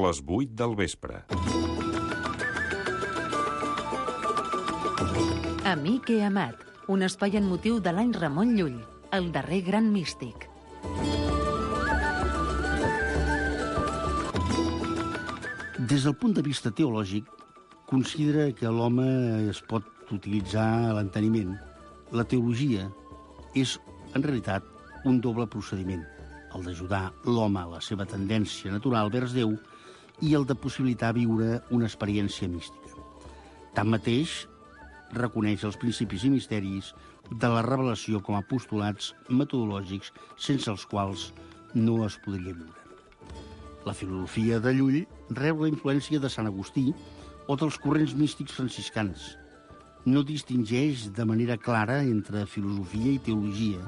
les 8 del vespre. Amic he amat, un espai en motiu de l'any Ramon Llull, el darrer gran místic. Des del punt de vista teològic, considera que l'home es pot utilitzar a l'enteniment. La teologia és, en realitat, un doble procediment, el d'ajudar l'home a la seva tendència natural vers Déu i el de possibilitar viure una experiència mística. Tanmateix, reconeix els principis i misteris de la revelació com a postulats metodològics sense els quals no es podria viure. La filosofia de Llull rep la influència de Sant Agustí o dels corrents místics franciscans. No distingeix de manera clara entre filosofia i teologia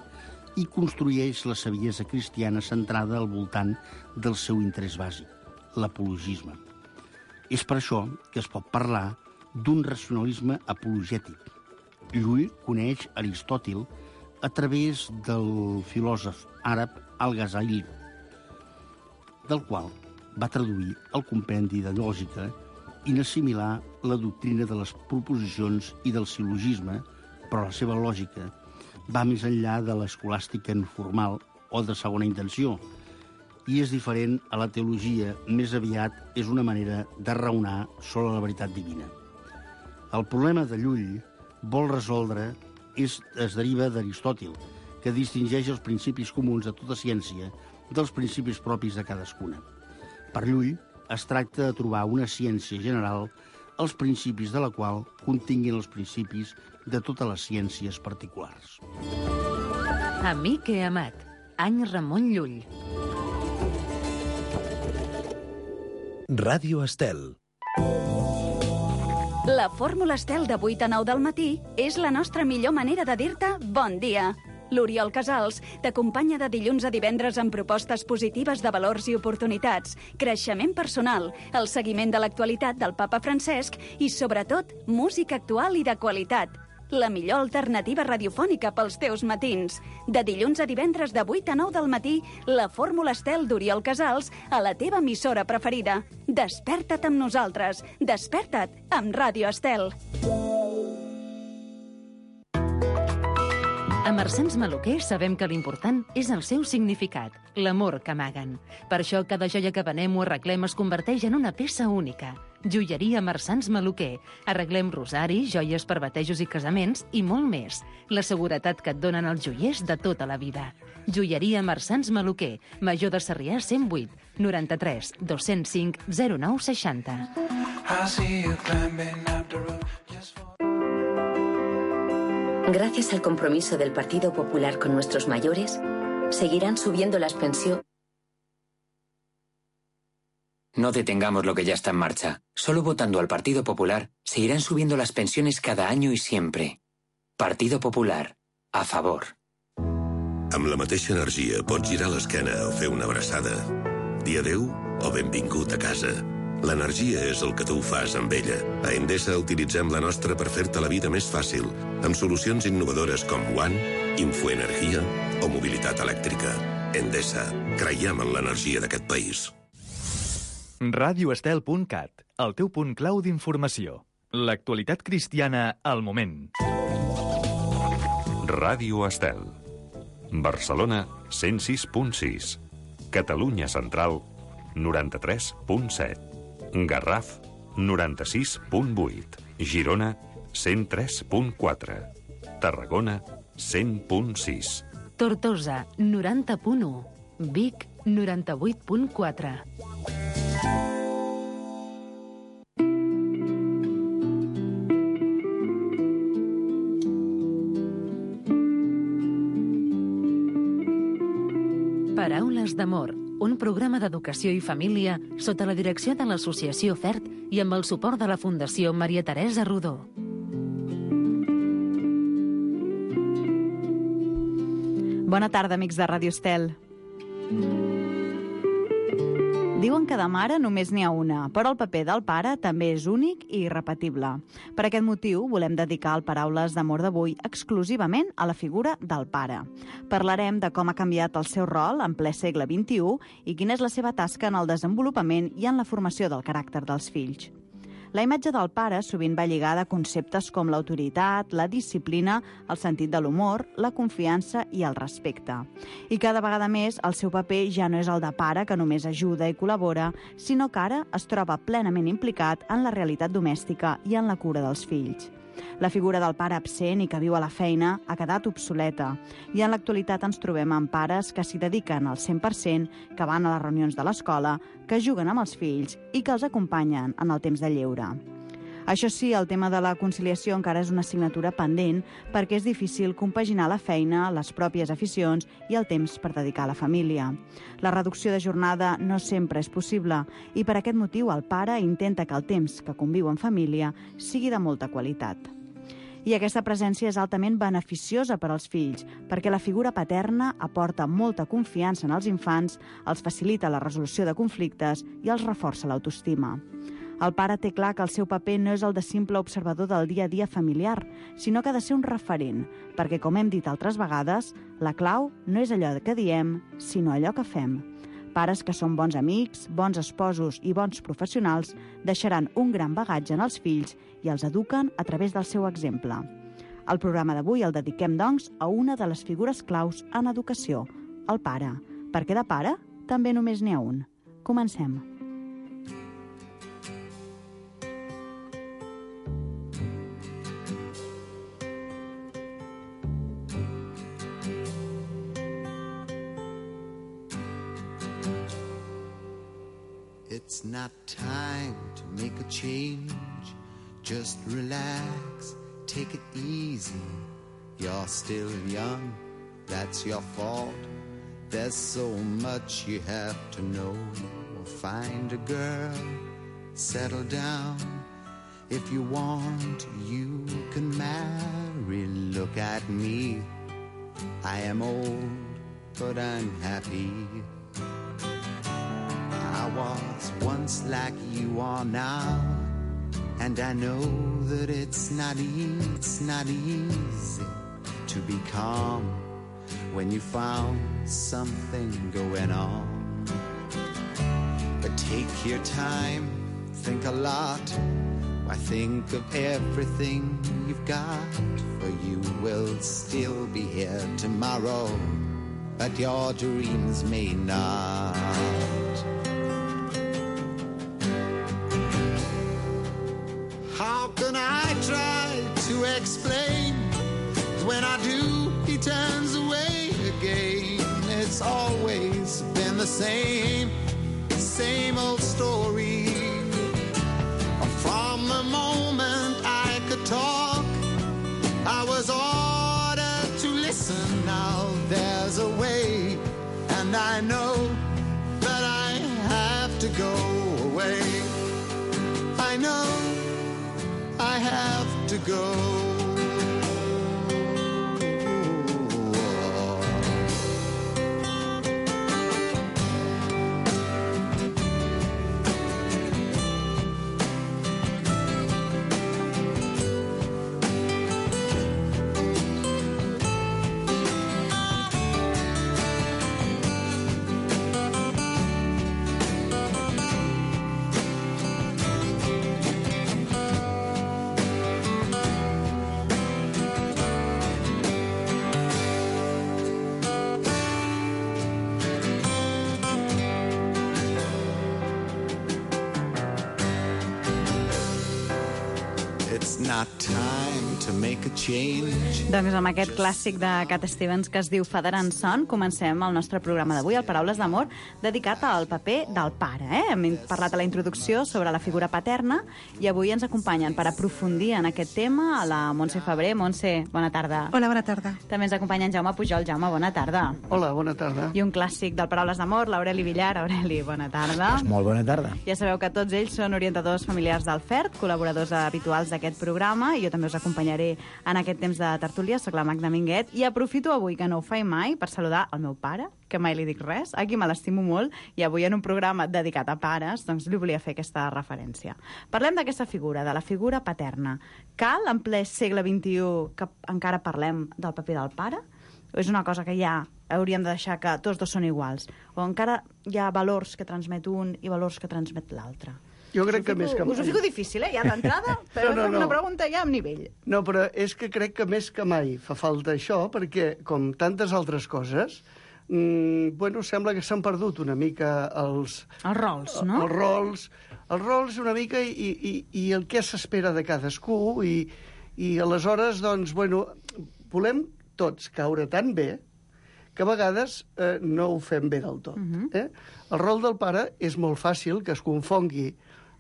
i construeix la saviesa cristiana centrada al voltant del seu interès bàsic, l'apologisme. És per això que es pot parlar d'un racionalisme apologètic. Llull coneix Aristòtil a través del filòsof àrab Al-Ghazali, del qual va traduir el compendi de lògica i n'assimilar la doctrina de les proposicions i del sil·logisme, però la seva lògica va més enllà de l'escolàstica informal o de segona intenció, i és diferent a la teologia, més aviat és una manera de raonar sobre la veritat divina. El problema de Llull vol resoldre es deriva d'Aristòtil, que distingeix els principis comuns de tota ciència dels principis propis de cadascuna. Per Llull, es tracta de trobar una ciència general els principis de la qual continguin els principis de totes les ciències particulars. Amic he amat, any Ramon Llull. Ràdio Estel. La fórmula Estel de 8 a 9 del matí és la nostra millor manera de dir-te bon dia. L'Oriol Casals t'acompanya de dilluns a divendres amb propostes positives de valors i oportunitats, creixement personal, el seguiment de l'actualitat del papa Francesc i, sobretot, música actual i de qualitat. La millor alternativa radiofònica pels teus matins. De dilluns a divendres de 8 a 9 del matí, la fórmula Estel d'Oriol Casals a la teva emissora preferida. Desperta't amb nosaltres. Desperta't amb Ràdio Estel. A Marsans Maluquer sabem que l'important és el seu significat, l'amor que amaguen. Per això cada joia que venem o arreglem es converteix en una peça única. Joieria Marsans Maluquer. Arreglem rosaris, joies per batejos i casaments i molt més. La seguretat que et donen els joiers de tota la vida. Joieria Marsans Maluquer. Major de Sarrià 108 93 205 09 60. Gracias al compromiso del Partido Popular con nuestros mayores, seguirán subiendo las pensiones. No detengamos lo que ya está en marcha. Solo votando al Partido Popular seguirán subiendo las pensiones cada año y siempre. Partido Popular, a favor. Amb la mateixa energia pots girar l'esquena o fer una abraçada. Dir adéu o benvingut a casa. L'energia és el que tu fas amb ella. A Endesa utilitzem la nostra per fer-te la vida més fàcil, amb solucions innovadores com One, Infoenergia o mobilitat elèctrica. Endesa, creiem en l'energia d'aquest país. RadioEstel.cat, el teu punt clau d'informació. L'actualitat cristiana al moment. Ràdio Estel. Barcelona 106.6. Catalunya Central 93.7. Garraf 96.8. Girona 103.4. Tarragona 100.6. Tortosa 90.1. Vic 98.4. Paraules d'amor, un programa d'educació i família sota la direcció de l'Associació FERT i amb el suport de la Fundació Maria Teresa Rodó. Bona tarda, amics de Ràdio Estel. Diuen que de mare només n'hi ha una, però el paper del pare també és únic i irrepetible. Per aquest motiu, volem dedicar el Paraules d'Amor d'avui exclusivament a la figura del pare. Parlarem de com ha canviat el seu rol en ple segle XXI i quina és la seva tasca en el desenvolupament i en la formació del caràcter dels fills. La imatge del pare sovint va lligada a conceptes com l'autoritat, la disciplina, el sentit de l'humor, la confiança i el respecte. I cada vegada més el seu paper ja no és el de pare que només ajuda i col·labora, sinó que ara es troba plenament implicat en la realitat domèstica i en la cura dels fills. La figura del pare absent i que viu a la feina ha quedat obsoleta i en l'actualitat ens trobem amb pares que s'hi dediquen al 100%, que van a les reunions de l'escola, que juguen amb els fills i que els acompanyen en el temps de lleure. Això sí, el tema de la conciliació encara és una assignatura pendent perquè és difícil compaginar la feina, les pròpies aficions i el temps per dedicar a la família. La reducció de jornada no sempre és possible i per aquest motiu el pare intenta que el temps que conviu en família sigui de molta qualitat. I aquesta presència és altament beneficiosa per als fills, perquè la figura paterna aporta molta confiança en els infants, els facilita la resolució de conflictes i els reforça l'autoestima. El pare té clar que el seu paper no és el de simple observador del dia a dia familiar, sinó que ha de ser un referent, perquè, com hem dit altres vegades, la clau no és allò que diem, sinó allò que fem. Pares que són bons amics, bons esposos i bons professionals deixaran un gran bagatge en els fills i els eduquen a través del seu exemple. El programa d'avui el dediquem, doncs, a una de les figures claus en educació, el pare, perquè de pare també només n'hi ha un. Comencem. It's not time to make a change. Just relax, take it easy. You're still young, that's your fault. There's so much you have to know. Find a girl, settle down. If you want, you can marry. Look at me, I am old, but I'm happy. I was once like you are now, and I know that it's not easy to be calm when you found something going on. But take your time, think a lot. Why, think of everything you've got, for you will still be here tomorrow, but your dreams may not. How can I try to explain? When I do, he turns away again. It's always been the same old story. From the moment I could talk, I was ordered to listen. Now there's a way, and I know that I have to go away. I know I have to go. Not time to make a change. Doncs amb aquest clàssic de Cat Stevens que es diu Father and Son comencem el nostre programa d'avui, el Paraules d'Amor, dedicat al paper del pare. Hem parlat a la introducció sobre la figura paterna i avui ens acompanyen per aprofundir en aquest tema a la Montse Febrer. Montse, bona tarda. Hola, bona tarda. També ens acompanya en Jaume Pujol. Jaume, bona tarda. Hola, bona tarda. I un clàssic del Paraules d'Amor, l'Aureli Villar. Aureli, bona tarda. Molt bona tarda. Ja sabeu que tots ells són orientadors familiars del FERT, col·laboradors habituals d'aquest programa programa i jo també us acompanyaré en aquest temps de tertúlia. Soc la Magda Minguet i aprofito avui, que no ho faig mai, per saludar el meu pare, que mai li dic res, a qui me l'estimo molt, i avui en un programa dedicat a pares, doncs li volia fer aquesta referència. Parlem d'aquesta figura, de la figura paterna. Cal, en ple segle XXI, que encara parlem del paper del pare? O és una cosa que ja hauríem de deixar que tots dos són iguals? O encara hi ha valors que transmet un i valors que transmet l'altre? Jo crec que més que mai... Us ho fico difícil, ja d'entrada, però no. Una pregunta ja amb nivell. No, però és que crec que més que mai fa falta això, perquè, com tantes altres coses, sembla que s'han perdut una mica els rols, no? Els rols una mica i el que s'espera de cadascú i aleshores, doncs, volem tots caure tan bé que a vegades no ho fem bé del tot. El rol del pare és molt fàcil que es confongui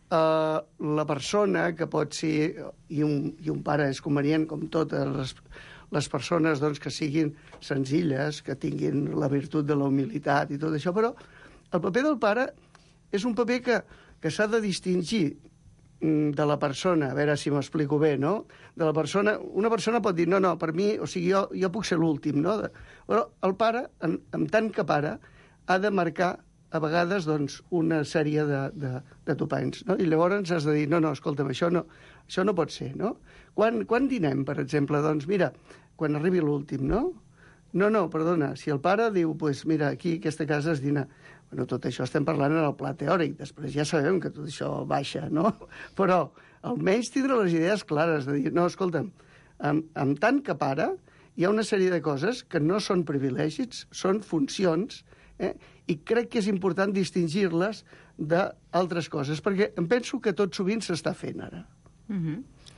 la persona que pot ser... I un pare és convenient, com totes les persones, doncs, que siguin senzilles, que tinguin la virtut de la humilitat i tot això, però el paper del pare és un paper que s'ha de distingir de la persona, a veure si m'explico bé, no? De la persona, una persona pot dir, no, per mi, o sigui, jo puc ser l'últim, no? Però el pare, en tant que pare, ha de marcar a vegades, doncs, una sèrie de topanys, no? I llavors has de dir, no, escolta'm, això no pot ser, no? Quan dinem, per exemple, doncs, mira, quan arribi l'últim, no? No, perdona, si el pare diu, doncs, mira, aquí, aquesta casa es dina... tot això estem parlant en el pla teòric, després ja sabem que tot això baixa, no? Però almenys tindre les idees clares, de dir, no, escolta'm, amb tant que pare, hi ha una sèrie de coses que no són privilegis, són funcions, i crec que és important distingir-les d'altres coses, perquè em penso que tot sovint s'està fent ara.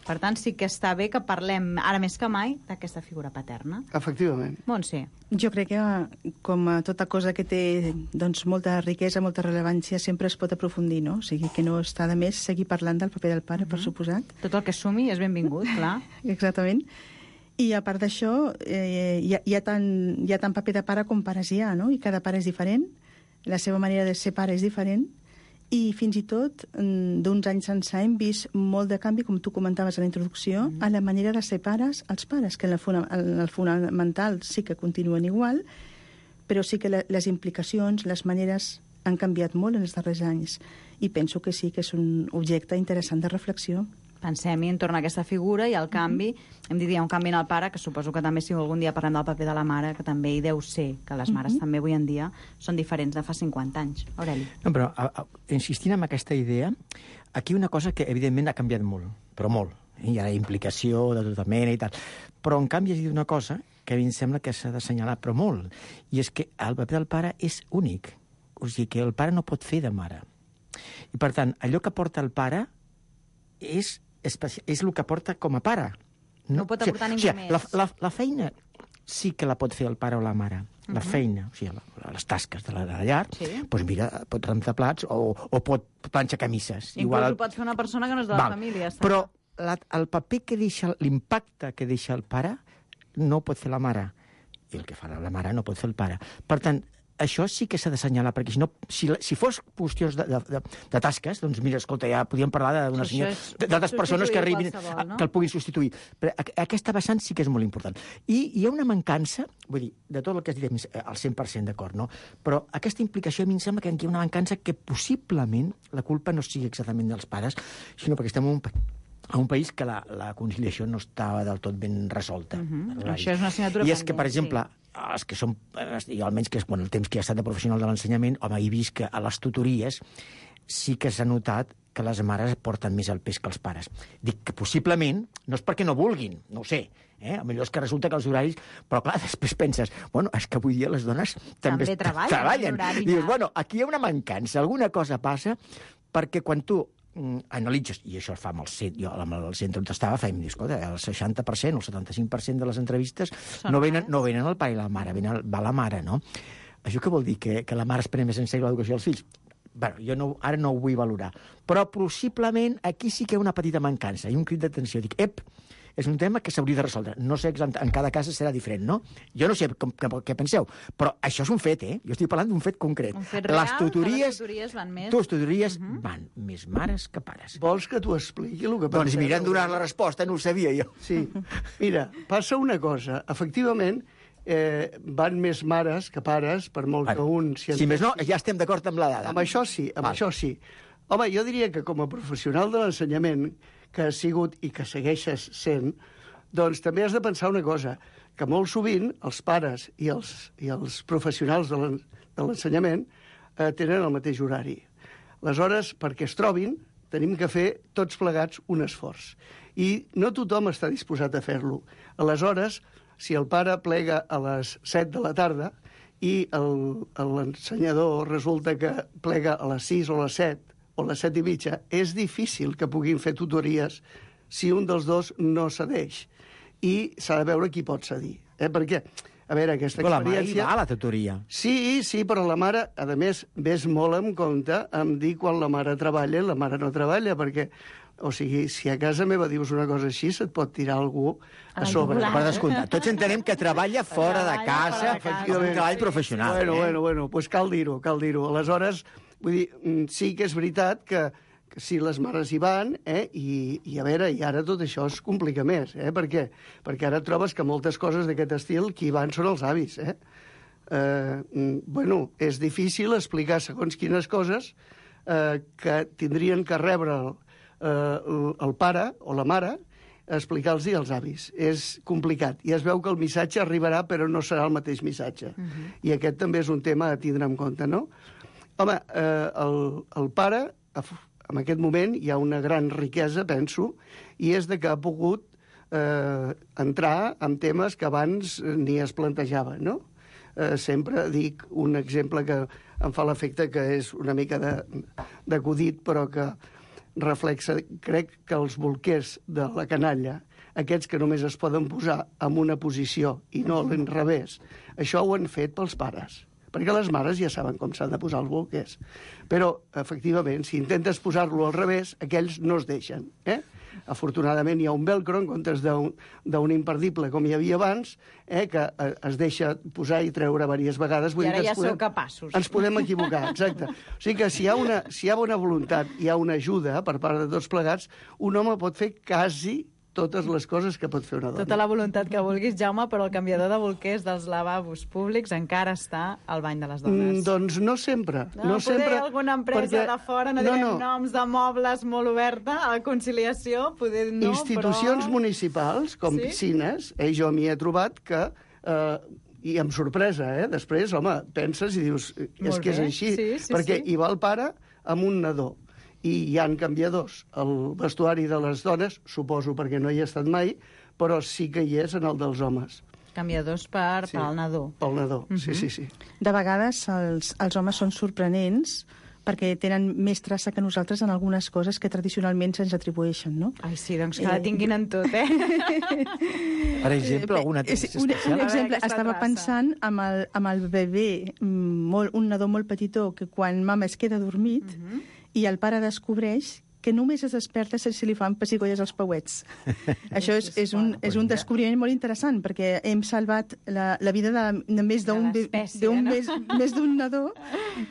Per tant, sí que està bé que parlem, ara més que mai, d'aquesta figura paterna. Efectivament. Montse. Jo crec que, com a tota cosa que té doncs, molta riquesa, molta rellevància, sempre es pot aprofundir, no? O sigui, que no està de més seguir parlant del paper del pare, per suposat. Tot el que sumi és benvingut, clar. Exactament. I a part d'això, hi ha tant paper de pare com pares hi ha, no? I cada pare és diferent, la seva manera de ser pare és diferent, i fins i tot d'uns anys ençà hem vist molt de canvi, com tu comentaves a la introducció, a la manera de ser pares als pares, que en el fonamental sí que continuen igual, però sí que les implicacions, les maneres han canviat molt en els darrers anys. I penso que sí que és un objecte interessant de reflexió. Pensem-hi entorn a aquesta figura i al canvi, hem dit un canvi en el pare, que suposo que també si algun dia parlem del paper de la mare, que també hi deu ser, que les mares també avui en dia són diferents de fa 50 anys. Aureli. No, però insistint en aquesta idea, aquí una cosa que evidentment ha canviat molt, però molt. Hi ha implicació de tota mena i tal. Però en canvi has dit una cosa que a mi em sembla que s'ha d'assenyalar, però molt, i és que el paper del pare és únic. O sigui que el pare no pot fer de mare. I per tant, allò que porta el pare és el que porta com a pare. No pot aportar ningú més. La feina sí que la pot fer el pare o la mare. La feina, o sigui, les tasques de la llar, doncs mira, pot rentar plats o pot planxar camises. Inclús ho pot fer una persona que no és de la família. Però el paper que deixa, l'impacte que deixa el pare, no ho pot fer la mare. I el que fa la mare no pot fer el pare. Per tant, això sí que s'ha d'assenyalar, perquè si no, si fos qüestions de tasques, doncs mira, escolta, ja podríem parlar d'altres persones que arribin, que el puguin substituir. Però aquesta vessant sí que és molt important. I hi ha una mancança, vull dir, de tot el que has dit al 100% d'acord, no? Però aquesta implicació a mi em sembla que hi ha una mancança que possiblement la culpa no sigui exactament dels pares, sinó perquè estem a un país que la conciliació no estava del tot ben resolta. Això és una assignatura pendent. I és que, per exemple, els que són, almenys que el temps que he estat de professional de l'ensenyament, home, he vist que a les tutories sí que s'ha notat que les mares porten més el pes que els pares. Dic que possiblement, no és perquè no vulguin, no ho sé, millor és que resulta que els horaris... Però clar, després penses, bueno, és que avui dia les dones també treballen. I dius, bueno, aquí hi ha una mancança, alguna cosa passa, perquè quan tu analitzes, i això es fa amb el centre, jo amb el centre on estava fèiem, escolta, el 60%, el 75% de les entrevistes no venen el pare i la mare, va la mare, no? Això què vol dir? Que la mare es pren més en sèrio l'educació dels fills? Bé, jo ara no ho vull valorar, però possiblement aquí sí que hi ha una petita mancança i un crit d'atenció. Dic, és un tema que s'hauria de resoldre. No sé, en cada cas serà diferent, no? Jo no sé què penseu, però això és un fet, Jo estic parlant d'un fet concret. Un fet real, les tutories van més. Les tutories van més mares que pares. Vols que t'ho expliqui el que passa? Doncs mira, han donat la resposta, no ho sabia jo. Sí. Mira, passa una cosa. Efectivament, van més mares que pares, per molt que un... Si més no, ja estem d'acord amb la dada. Amb això sí, això sí. Home, jo diria que com a professional de l'ensenyament, que has sigut i que segueixes sent, doncs també has de pensar una cosa, que molt sovint els pares i els professionals de l'ensenyament tenen el mateix horari. Aleshores, perquè es trobin, tenim que fer tots plegats un esforç. I no tothom està disposat a fer-lo. Aleshores, si el pare plega a les 7 de la tarda i l'ensenyador resulta que plega a les 6 o a les 7 o a les 7 i mitja, és difícil que puguin fer tutories si un dels dos no cedeix. I s'ha de veure qui pot cedir. Perquè, a veure, aquesta experiència... Però la mare hi va a la tutoria. Sí, però la mare, a més, ves molt en compte em dir quan la mare treballa i la mare no treballa, perquè, o sigui, si a casa meva dius una cosa així, se't pot tirar algú a sobre. Per descomptat. Tots entenem que treballa fora de casa, és un treball professional. Bueno, doncs cal dir-ho. Aleshores, vull dir, sí que és veritat que si les mares hi van, i a veure, i ara tot això es complica més, Per què? Perquè ara trobes que moltes coses d'aquest estil qui hi van són els avis, Bueno, és difícil explicar segons quines coses que tindrien que rebre el pare o la mare, explicar-los als avis. És complicat. I es veu que el missatge arribarà, però no serà el mateix missatge. I aquest també és un tema a tindre en compte, no? Home, el pare... En aquest moment hi ha una gran riquesa, penso, i és de que ha pogut entrar en temes que abans ni es plantejaven, no? Sempre dic un exemple que em fa l'efecte que és una mica d'acudit, però que reflexa, crec que els bolquers de la canalla, aquests que només es poden posar en una posició i no a l'inrevés, això ho han fet pels pares. Perquè les mares ja saben com s'han de posar els bolquers. Però, efectivament, si intentes posar-lo al revés, aquells no es deixen. Afortunadament hi ha un velcro en comptes d'un imperdible com hi havia abans, que es deixa posar i treure diverses vegades. I ara ja sou capaços. Ens podem equivocar, exacte. O sigui que si hi ha bona voluntat, hi ha una ajuda per part de tots plegats, un home pot fer quasi totes les coses que pot fer una dona. Tota la voluntat que vulguis, Jaume, però el canviador de bolquers dels lavabos públics encara està al bany de les dones. Doncs no sempre. No sempre, alguna empresa de fora, no direm noms de mobles molt oberta a la conciliació, poder no, institucions municipals, com piscines, jo m'hi he trobat que... I amb sorpresa, després, home, penses i dius, és que és així, perquè hi va el pare amb un nadó. I hi ha canviadors. El vestuari de les dones, suposo perquè no hi he estat mai, però sí que hi és en el dels homes. Canviadors per al nadó. Pel nadó, sí. De vegades els homes són sorprenents perquè tenen més traça que nosaltres en algunes coses que tradicionalment se'ns atribueixen, no? Ai, sí, doncs que la tinguin en tot, Per exemple, alguna especial? Un exemple, estava pensant amb el bebè, un nadó molt petitó, que quan mama es queda dormit, i el pare descobreix que només es desperta si li fan pessigolles als pauets. Això és un descobriment molt interessant, perquè hem salvat la vida de més d'un nadó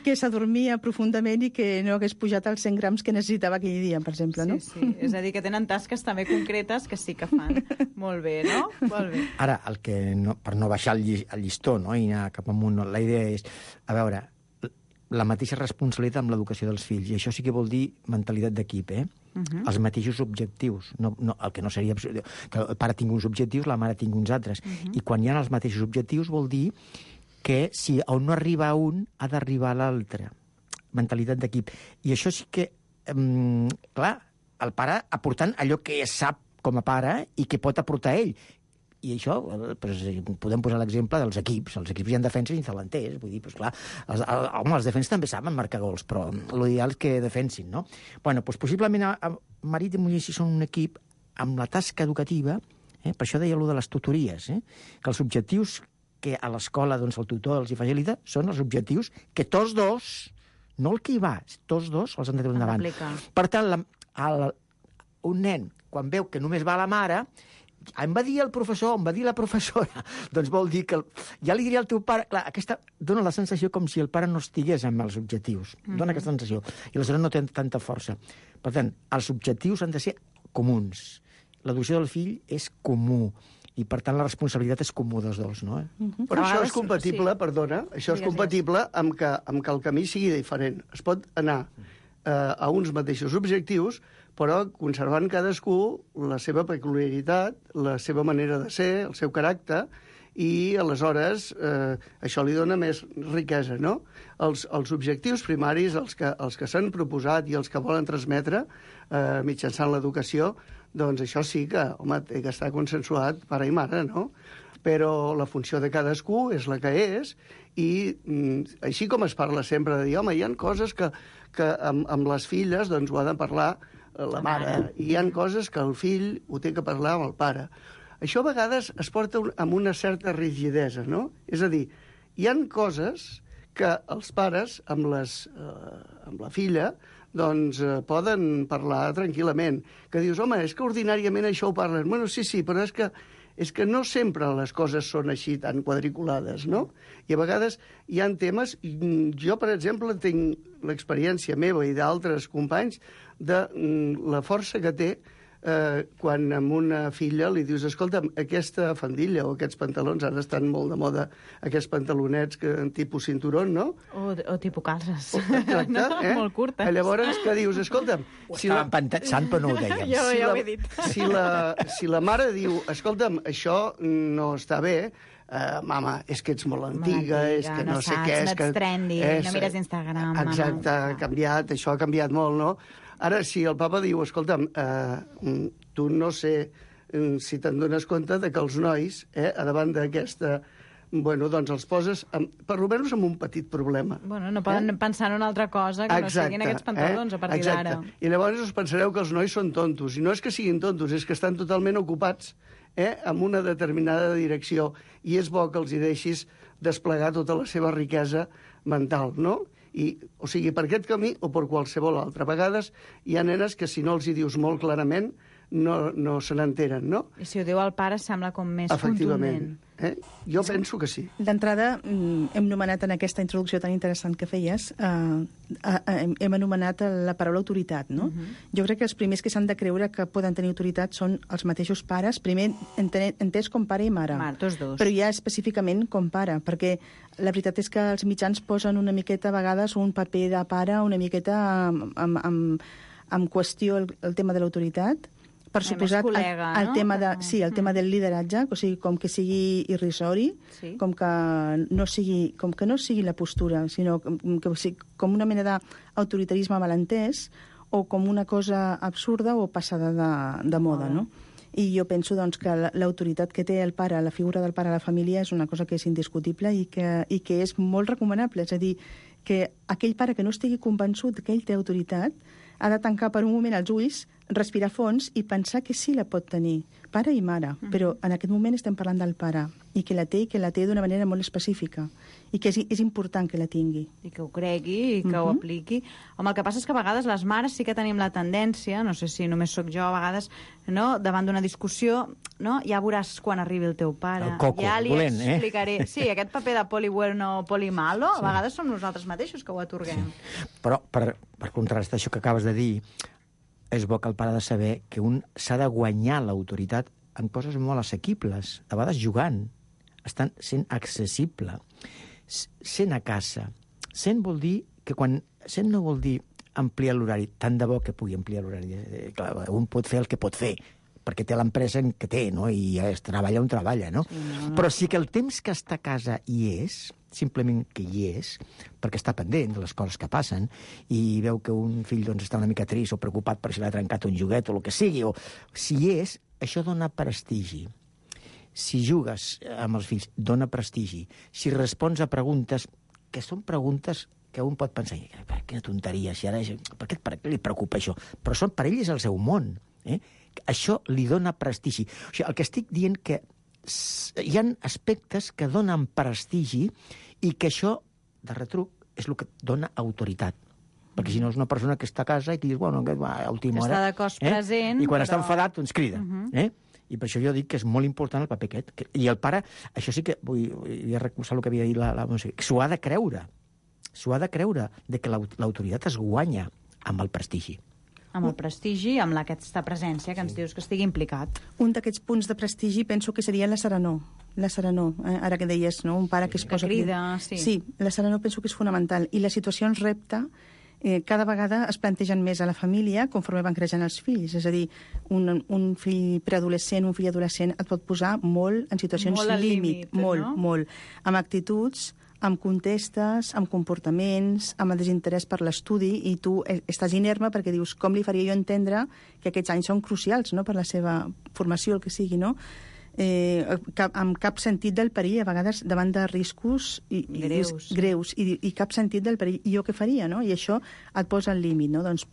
que s'adormia profundament i que no hagués pujat els 100 grams que necessitava aquell dia, per exemple, no? Sí. És a dir, que tenen tasques també concretes que sí que fan molt bé, no? Molt bé. Ara, per no baixar el llistó, no?, i anar cap amunt, la idea és, a veure, la mateixa responsabilitat amb l'educació dels fills, i això sí que vol dir mentalitat d'equip, Els mateixos objectius, el que no seria que el pare tingui uns objectius, la mare tingui uns altres, i quan hi ha els mateixos objectius vol dir que si on no arriba un, ha d'arribar l'altre. Mentalitat d'equip. I això sí que, clar, el pare aportant allò que sap com a pare i que pot aportar ell. I això, podem posar l'exemple dels equips. Els equips hi ha defenses i delanters. Vull dir, clar, els defenses també saben marcar gols, però l'ideal és que defensin, no? Bueno, doncs possiblement marit i muller si són un equip amb la tasca educativa, per això deia allò de les tutories, que els objectius que a l'escola el tutor els hi facilita són els objectius que tots dos, no el que hi va, tots dos els han de treure endavant. Per tant, un nen, quan veu que només va a la mare, em va dir el professor, em va dir la professora, doncs vol dir que ja li diria al teu pare... Clar, aquesta dona la sensació com si el pare no estigués amb els objectius. Dona aquesta sensació. I aleshores no té tanta força. Per tant, els objectius han de ser comuns. L'educació del fill és comú. I, per tant, la responsabilitat és comú dels dos, no? Però això és compatible, perdona, això és compatible amb que el camí sigui diferent. Es pot anar a uns mateixos objectius, però conservant cadascú la seva peculiaritat, la seva manera de ser, el seu caràcter, i aleshores això li dona més riquesa, no? Els objectius primaris, els que s'han proposat i els que volen transmetre mitjançant l'educació, doncs això sí que, home, té que estar consensuat pare i mare, no? Però la funció de cadascú és la que és, i així com es parla sempre de dir, home, hi ha coses que amb les filles doncs ho ha de parlar la mare, i hi ha coses que el fill ho té que parlar amb el pare. Això a vegades es porta amb una certa rigidesa, no? És a dir, hi ha coses que els pares amb la filla doncs poden parlar tranquil·lament. Que dius, home, és que ordinàriament això ho parlen. Bueno, sí, però és que no sempre les coses són així tan quadriculades, no? I a vegades hi ha temes... Jo, per exemple, tinc l'experiència meva i d'altres companys de la força que té quan amb una filla li dius, escolta, aquesta faldilla o aquests pantalons, ara estan molt de moda, aquests pantalonets tipus cinturón, no? O tipus calces. Exacte, no? Molt curtes. Llavors, que dius, escolta'm... Ho estàvem pensant, però no ho dèiem. Ja ho he dit. Si la mare diu, escolta'm, això no està bé, mama, és que ets molt antiga, és que no sé què... No ets trendy, no mires Instagram, mama. Exacte, ha canviat, això ha canviat molt, no? Ara, si el papa diu, escolta'm, tu no sé si te'n dones compte de que els nois, a davant d'aquesta... Bueno, doncs els poses, per almenys amb un petit problema. Bueno, no poden pensar en una altra cosa que no siguin aquests pantalons a partir d'ara. I llavors us pensareu que els nois són tontos. I no és que siguin tontos, és que estan totalment ocupats amb una determinada direcció. I és bo que els hi deixis desplegar tota la seva riquesa mental, no? O sigui, per aquest camí o per qualsevol altre. A vegades hi ha nenes que si no els hi dius molt clarament no se n'enteren, no? I si ho diu el pare sembla com més contundent. Jo penso que sí. D'entrada, hem nomenat en aquesta introducció tan interessant que feies, hem anomenat la paraula autoritat, no? Jo crec que els primers que s'han de creure que poden tenir autoritat són els mateixos pares, primer entès com pare i mare. Tots dos. Però ja específicament com pare, perquè la veritat és que els mitjans posen una miqueta a vegades un paper de pare una miqueta en qüestió el tema de l'autoritat, per suposat col·lega, el tema el tema del lideratge, o sigui, com que sigui irrisori, com que no sigui la postura, sinó que sigui com una mena d'autoritarisme malentès o com una cosa absurda o passada de moda, no? I jo penso doncs, que l'autoritat que té el pare, la figura del pare a la família, és una cosa que és indiscutible i que és molt recomanable. És a dir, que aquell pare que no estigui convençut que ell té autoritat ha de tancar per un moment els ulls, respirar fons i pensar que sí la pot tenir, pare i mare. Però en aquest moment estem parlant del pare, i que la té d'una manera molt específica, i que és important que la tingui. I que ho cregui, i que ho apliqui. Home, el que passa és que a vegades les mares sí que tenim la tendència, no sé si només sóc jo, a vegades, no, davant d'una discussió, no, ja veuràs quan arribi el teu pare. El coco, ja li volent, explicaré. Sí, aquest paper de poli bueno, poli malo, a vegades som nosaltres mateixos que ho atorguem. Sí. Però, per contrastar això que acabes de dir, és bo que el pare ha de saber que un s'ha de guanyar l'autoritat en coses molt assequibles, a vegades jugant, estan sent accessible, sent a casa. Sent vol dir que quan... Sent no vol dir ampliar l'horari, tant de bo que pugui ampliar l'horari. Clar, un pot fer el que pot fer, perquè té l'empresa que té, no? I es treballa on treballa, no? Sí, però sí que el temps que està a casa hi és, simplement que hi és, perquè està pendent de les coses que passen, i veu que un fill doncs, està una mica trist o preocupat per si l'ha trencat un joguet o el que sigui, o si hi és, això dona prestigi. Si jugues amb els fills, dona prestigi. Si respons a preguntes, que són preguntes que un pot pensar, quina tonteria, si ara... Per què li preocupa això? Però per ell és el seu món. Això li dona prestigi. O sigui, el que estic dient que hi ha aspectes que donen prestigi i que això, de retruc, és el que dona autoritat. Perquè si no és una persona que està a casa i que dius, bueno, a última hora... Està de cos present, I quan està enfadat, doncs crida. I per això jo dic que és molt important el paper aquest. I el pare, això sí que vull recolzar el que havia dit la Montse, s'ho ha de creure. S'ho ha de creure, de que l'autoritat es guanya amb el prestigi. Amb el prestigi, amb aquesta presència que ens dius que estigui implicat. Un d'aquests punts de prestigi penso que seria la serenor. La serenor, ara que deies, no? Un pare que es posa... Que crida, sí. Sí, la serenor penso que és fonamental. I les situacions repte cada vegada es plantegen més a la família conforme van creixent els fills. És a dir, un fill preadolescent, un fill adolescent et pot posar molt en situacions límit, molt, amb actituds, amb contestes, amb comportaments, amb el desinterès per l'estudi, i tu estàs inerme perquè dius com li faria jo entendre que aquests anys són crucials, no?, per la seva formació, el que sigui, no? Amb cap sentit del perill, a vegades davant de riscos greus i cap sentit del perill. I jo què faria, no? I això et posa al límit, no? Doncs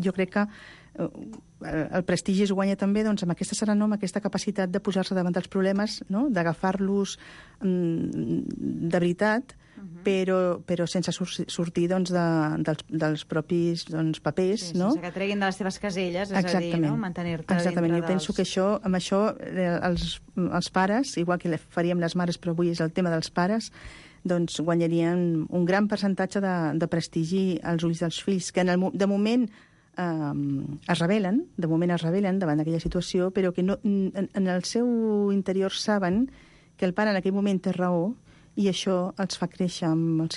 jo crec que el prestigi es guanya també doncs, amb aquesta serenor, amb aquesta capacitat de posar-se davant dels problemes, no?, d'agafar-los de veritat, però sense sortir doncs, dels propis papers. Sí, no? Sense que treguin de les teves caselles, és a dir, no? Mantenir-te Exactament. dintre Jo penso que amb això els pares, igual que faríem les mares, però avui és el tema dels pares, doncs guanyarien un gran percentatge de prestigi als ulls dels fills, que de moment es rebel·len davant d'aquella situació, però que en el seu interior saben que el pare en aquell moment té raó, i això els fa créixer amb el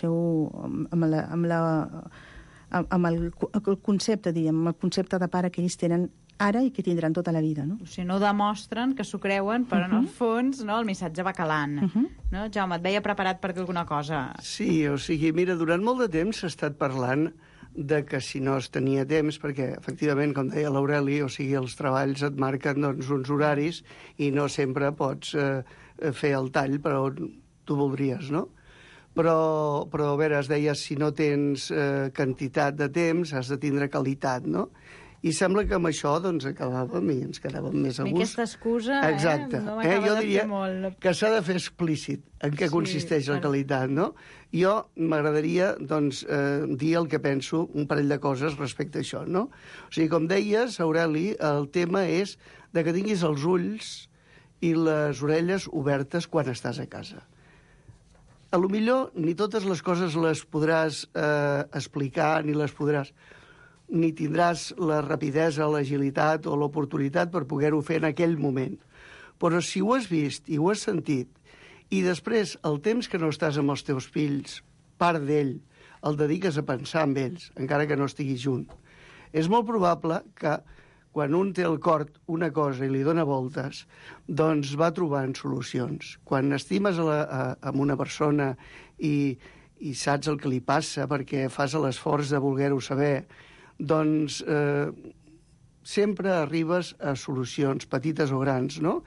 concepte, amb el concepte de pare que ells tenen ara i que tindran tota la vida, no? O sigui, no demostren que s'ho creuen, però en el fons, no, el missatge va calant. No? Jaume, et veia preparat per dir alguna cosa. Sí, o sigui, mira, durant molt de temps s'ha estat parlant de que si no es tenia temps, perquè efectivament, com deia l'Aureli, o sigui, els treballs et marquen doncs, uns horaris i no sempre pots fer el tall per on tu voldries, no? Però a veure, es deia, si no tens quantitat de temps, has de tindre qualitat, no? I sembla que amb això doncs, acabàvem i ens quedàvem més a gust. Aquesta excusa no m'acaba de fer molt. Que s'ha de fer explícit en què consisteix la qualitat, no? Jo m'agradaria doncs, dir el que penso, un parell de coses respecte a això, no? O sigui, com deies, Aureli, el tema és de que tinguis els ulls i les orelles obertes quan estàs a casa. A lo millor ni totes les coses les podràs explicar, ni tindràs la rapidesa, l'agilitat o l'oportunitat per poder-ho fer en aquell moment. Però si ho has vist i ho has sentit, i després el temps que no estàs amb els teus fills, part d'ell, el dediques a pensar en ells, encara que no estiguis junt, és molt probable que quan un té al cor una cosa i li dona voltes, doncs va trobant solucions. Quan estimes amb una persona i saps el que li passa perquè fas l'esforç de voler-ho saber, doncs sempre arribes a solucions, petites o grans, no?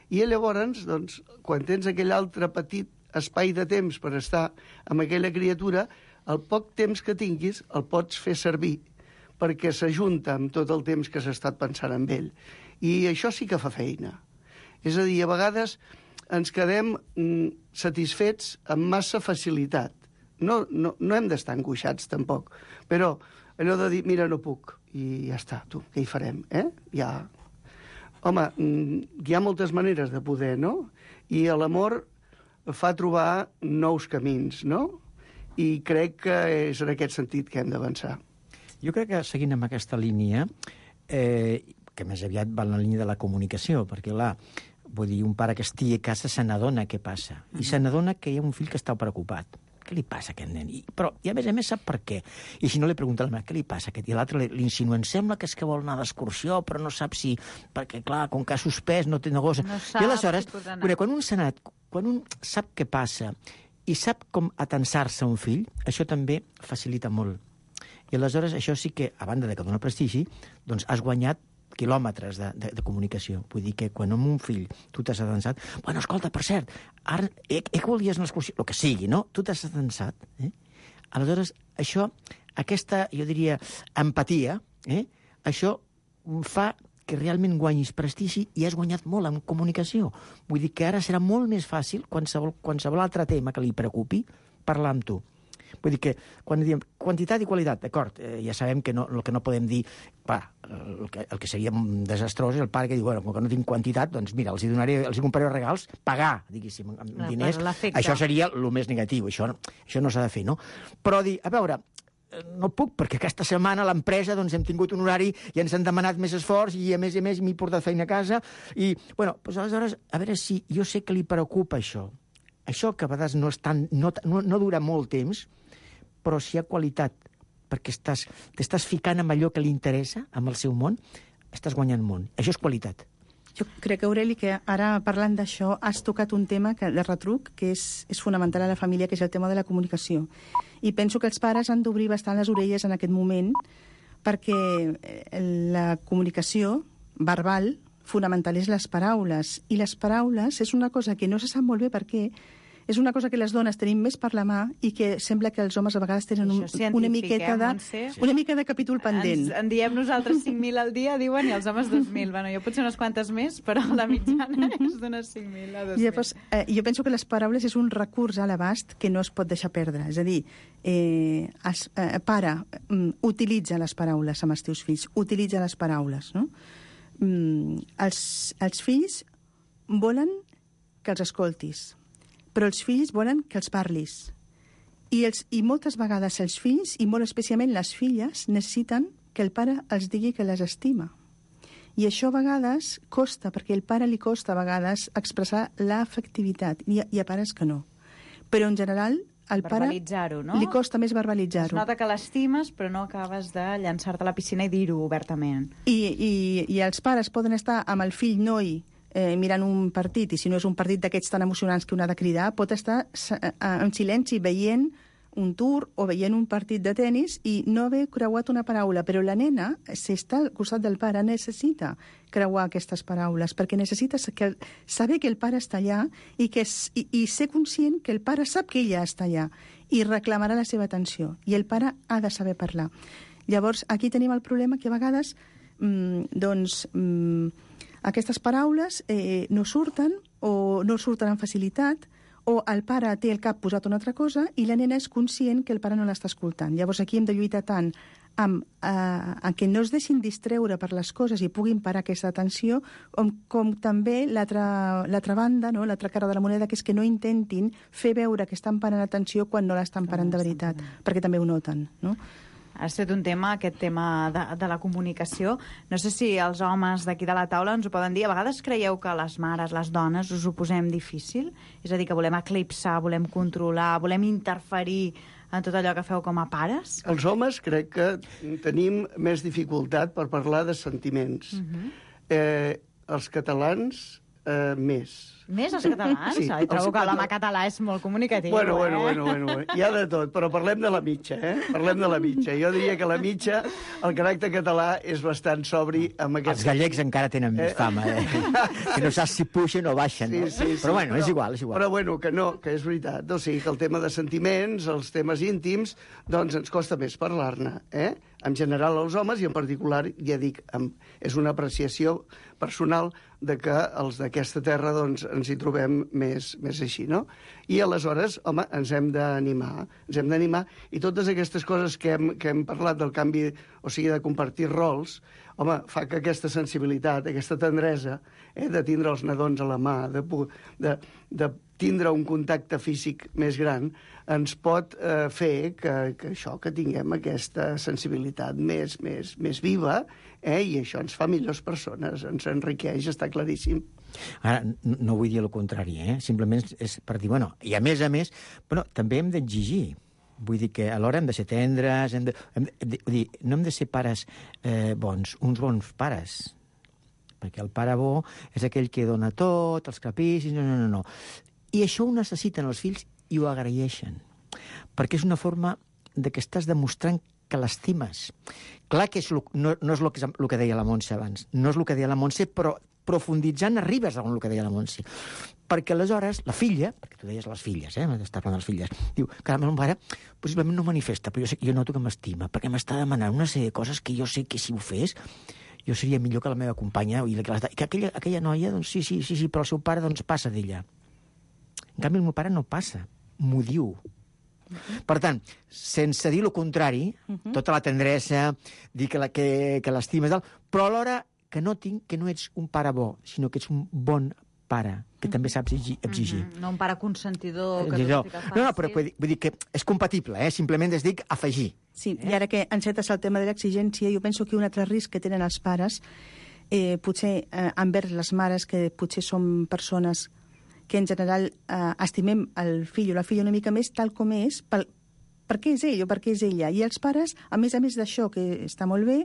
I llavors, doncs, quan tens aquell altre petit espai de temps per estar amb aquella criatura, el poc temps que tinguis el pots fer servir perquè s'ajunta amb tot el temps que s'ha estat pensant en ell. I això sí que fa feina. És a dir, a vegades ens quedem satisfets amb massa facilitat. No hem d'estar angoixats, tampoc. Però allò de dir, mira, no puc, i ja està, tu, què hi farem, Ja. Home, hi ha moltes maneres de poder, no? I l'amor fa trobar nous camins, no? I crec que és en aquest sentit que hem d'avançar. Jo crec que, seguint amb aquesta línia, que més aviat va en la línia de la comunicació, perquè, clar, vull dir, un pare que estigui a casa se n'adona què passa, i se n'adona que hi ha un fill que està preocupat. Què li passa a aquest nen? I a més sap per què. I si no li pregunta a la mare, què li passa a aquest? I l'altre li insinua, sembla que és que vol anar d'excursió, però no sap si... Perquè, clar, com que ha suspès, no té negoci. No sap, i aleshores, quan un s'ha anat, quan un sap què passa i sap com atensar-se a un fill, això també facilita molt. I aleshores això sí que, a banda de que dona prestigi, doncs has guanyat quilòmetres de comunicació. Vull dir que quan amb un fill tu t'has atensat... Bueno, escolta, per cert, ara que volies una excursió, el que sigui, no? Tu t'has atensat. Aleshores, això, aquesta, jo diria, empatia, això fa que realment guanyis prestigi i has guanyat molt en comunicació. Vull dir que ara serà molt més fàcil, qualsevol altre tema que li preocupi, parlar amb tu. Vull dir que quan diem quantitat i qualitat, d'acord, ja sabem que el que no podem dir, el que seria desastrós és el pare que diu, bueno, com que no tinc quantitat, doncs mira, els compraré regals, pagar, diguéssim, amb diners, això seria el més negatiu, això no s'ha de fer, no? Però dir, a veure, no puc, perquè aquesta setmana a l'empresa doncs, hem tingut un horari i ens han demanat més esforç i a més m'he portat feina a casa i, bueno, doncs aleshores, a veure si jo sé que li preocupa això que a vegades no dura molt temps, però si hi ha qualitat, perquè t'estàs ficant amb allò que li interessa, amb el seu món, estàs guanyant món. Això és qualitat. Jo crec, Aureli, que ara parlant d'això has tocat un tema de retruc que és fonamental a la família, que és el tema de la comunicació. I penso que els pares han d'obrir bastant les orelles en aquest moment perquè la comunicació verbal fonamental és les paraules. I les paraules és una cosa que no se sap molt bé per què, és una cosa que les dones tenim més per la mà i que sembla que els homes a vegades tenen una mica de capítol pendent. En diem nosaltres 5.000 al dia, diuen, i els homes 2.000. Bueno, jo potser unes quantes més, però la mitjana és d'unes 5.000 a 2.000. Llavors, jo penso que les paraules és un recurs a l'abast que no es pot deixar perdre. És a dir, pare, utilitza les paraules amb els teus fills, utilitza les paraules, no? Els fills volen que els escoltis, però els fills volen que els parlis. I moltes vegades els fills, i molt especialment les filles, necessiten que el pare els digui que les estima. I això a vegades costa, perquè al pare li costa a vegades expressar l'afectivitat. Hi ha pares que no. Però en general al pare no? li costa més verbalitzar-ho. Es nota que l'estimes, però no acabes de llançar-te a la piscina i dir-ho obertament. I els pares poden estar amb el fill noi mirant un partit, i si no és un partit d'aquests tan emocionants que un ha de cridar, pot estar en silenci veient un tour o veient un partit de tennis i no haver creuat una paraula. Però la nena, si està al costat del pare, necessita creuar aquestes paraules, perquè necessita saber que el pare està allà i ser conscient que el pare sap que ella està allà i reclamarà la seva atenció. I el pare ha de saber parlar. Llavors, aquí tenim el problema que a vegades aquestes paraules no surten o no surten amb facilitat, o el pare té el cap posat a una altra cosa i la nena és conscient que el pare no l'està escoltant. Llavors aquí hem de lluitar tant amb que no es deixin distreure per les coses i puguin parar aquesta atenció, com també l'altra banda, no? L'altra cara de la moneda, que és que no intentin fer veure que estan parant atenció quan no l'estan parant de veritat, perquè també ho noten, no? Has fet un tema, aquest tema de la comunicació. No sé si els homes d'aquí de la taula ens ho poden dir. A vegades creieu que les mares, les dones, us ho posem difícil? És a dir, que volem eclipsar, volem controlar, volem interferir en tot allò que feu com a pares? Els homes crec que tenim més dificultat per parlar de sentiments. Els catalans, més. Més els catalans? Sí, trobo que l'home català és molt comunicatiu. Bueno, hi ha de tot, però parlem de la mitja, Parlem de la mitja. Jo diria que la mitja, el caràcter català és bastant sobri amb aquest... Els gallecs encara tenen més fama, que no saps si pugen o baixen, no? Sí, però bueno, és igual. Però bueno, que no, que és veritat. O sigui, que el tema de sentiments, els temes íntims, doncs ens costa més parlar-ne, En general els homes, i en particular, ja dic, és una apreciació personal de que els d'aquesta terra doncs, ens hi trobem més així, no? I aleshores, home, ens hem d'animar, i totes aquestes coses que hem parlat del canvi, o sigui, de compartir rols, home, fa que aquesta sensibilitat, aquesta tendresa, de tindre els nadons a la mà, de tindre un contacte físic més gran, ens pot fer que tinguem aquesta sensibilitat més viva, i això ens fa millors persones, ens enriqueix, està claríssim. Ara, no vull dir el contrari, simplement és per dir, bueno, i a més, també hem d'exigir. Vull dir que alhora hem de ser tendres, no hem de ser pares bons, uns bons pares, perquè el pare bo és aquell que dona tot, els capricis, no. I això ho necessiten els fills i ho agraeixen, perquè és una forma de que estàs demostrant que l'estimes. Clar que no és el que deia la Montse abans, no és el que deia la Montse, però profunditzant arribes a el que deia la Montse. Perquè aleshores la filla, perquè tu deies les filles, m'estàs parlant de les filles, diu, caram, el meu pare possiblement no manifesta, però jo noto que m'estima, perquè m'està demanant una sèrie de coses que jo sé que si ho fes jo seria millor que la meva companya, i que aquella noia, doncs sí, però el seu pare doncs passa d'ella. En canvi, el meu pare no passa, m'ho diu. Per tant, sense dir el contrari, tota la tendresa, dir que l'estimes, però alhora que notin que no ets un pare bo, sinó que ets un bon pare, que també saps exigir. No un pare consentidor que No, tot estic no, però vull dir que és compatible, simplement es dic afegir. Sí, i ara que encetes el tema de l'exigència, jo penso que un altre risc que tenen els pares, potser envers les mares, que potser són persones que en general estimem el fill o la filla una mica més tal com és, perquè és ell o perquè és ella. I els pares, a més d'això, que està molt bé,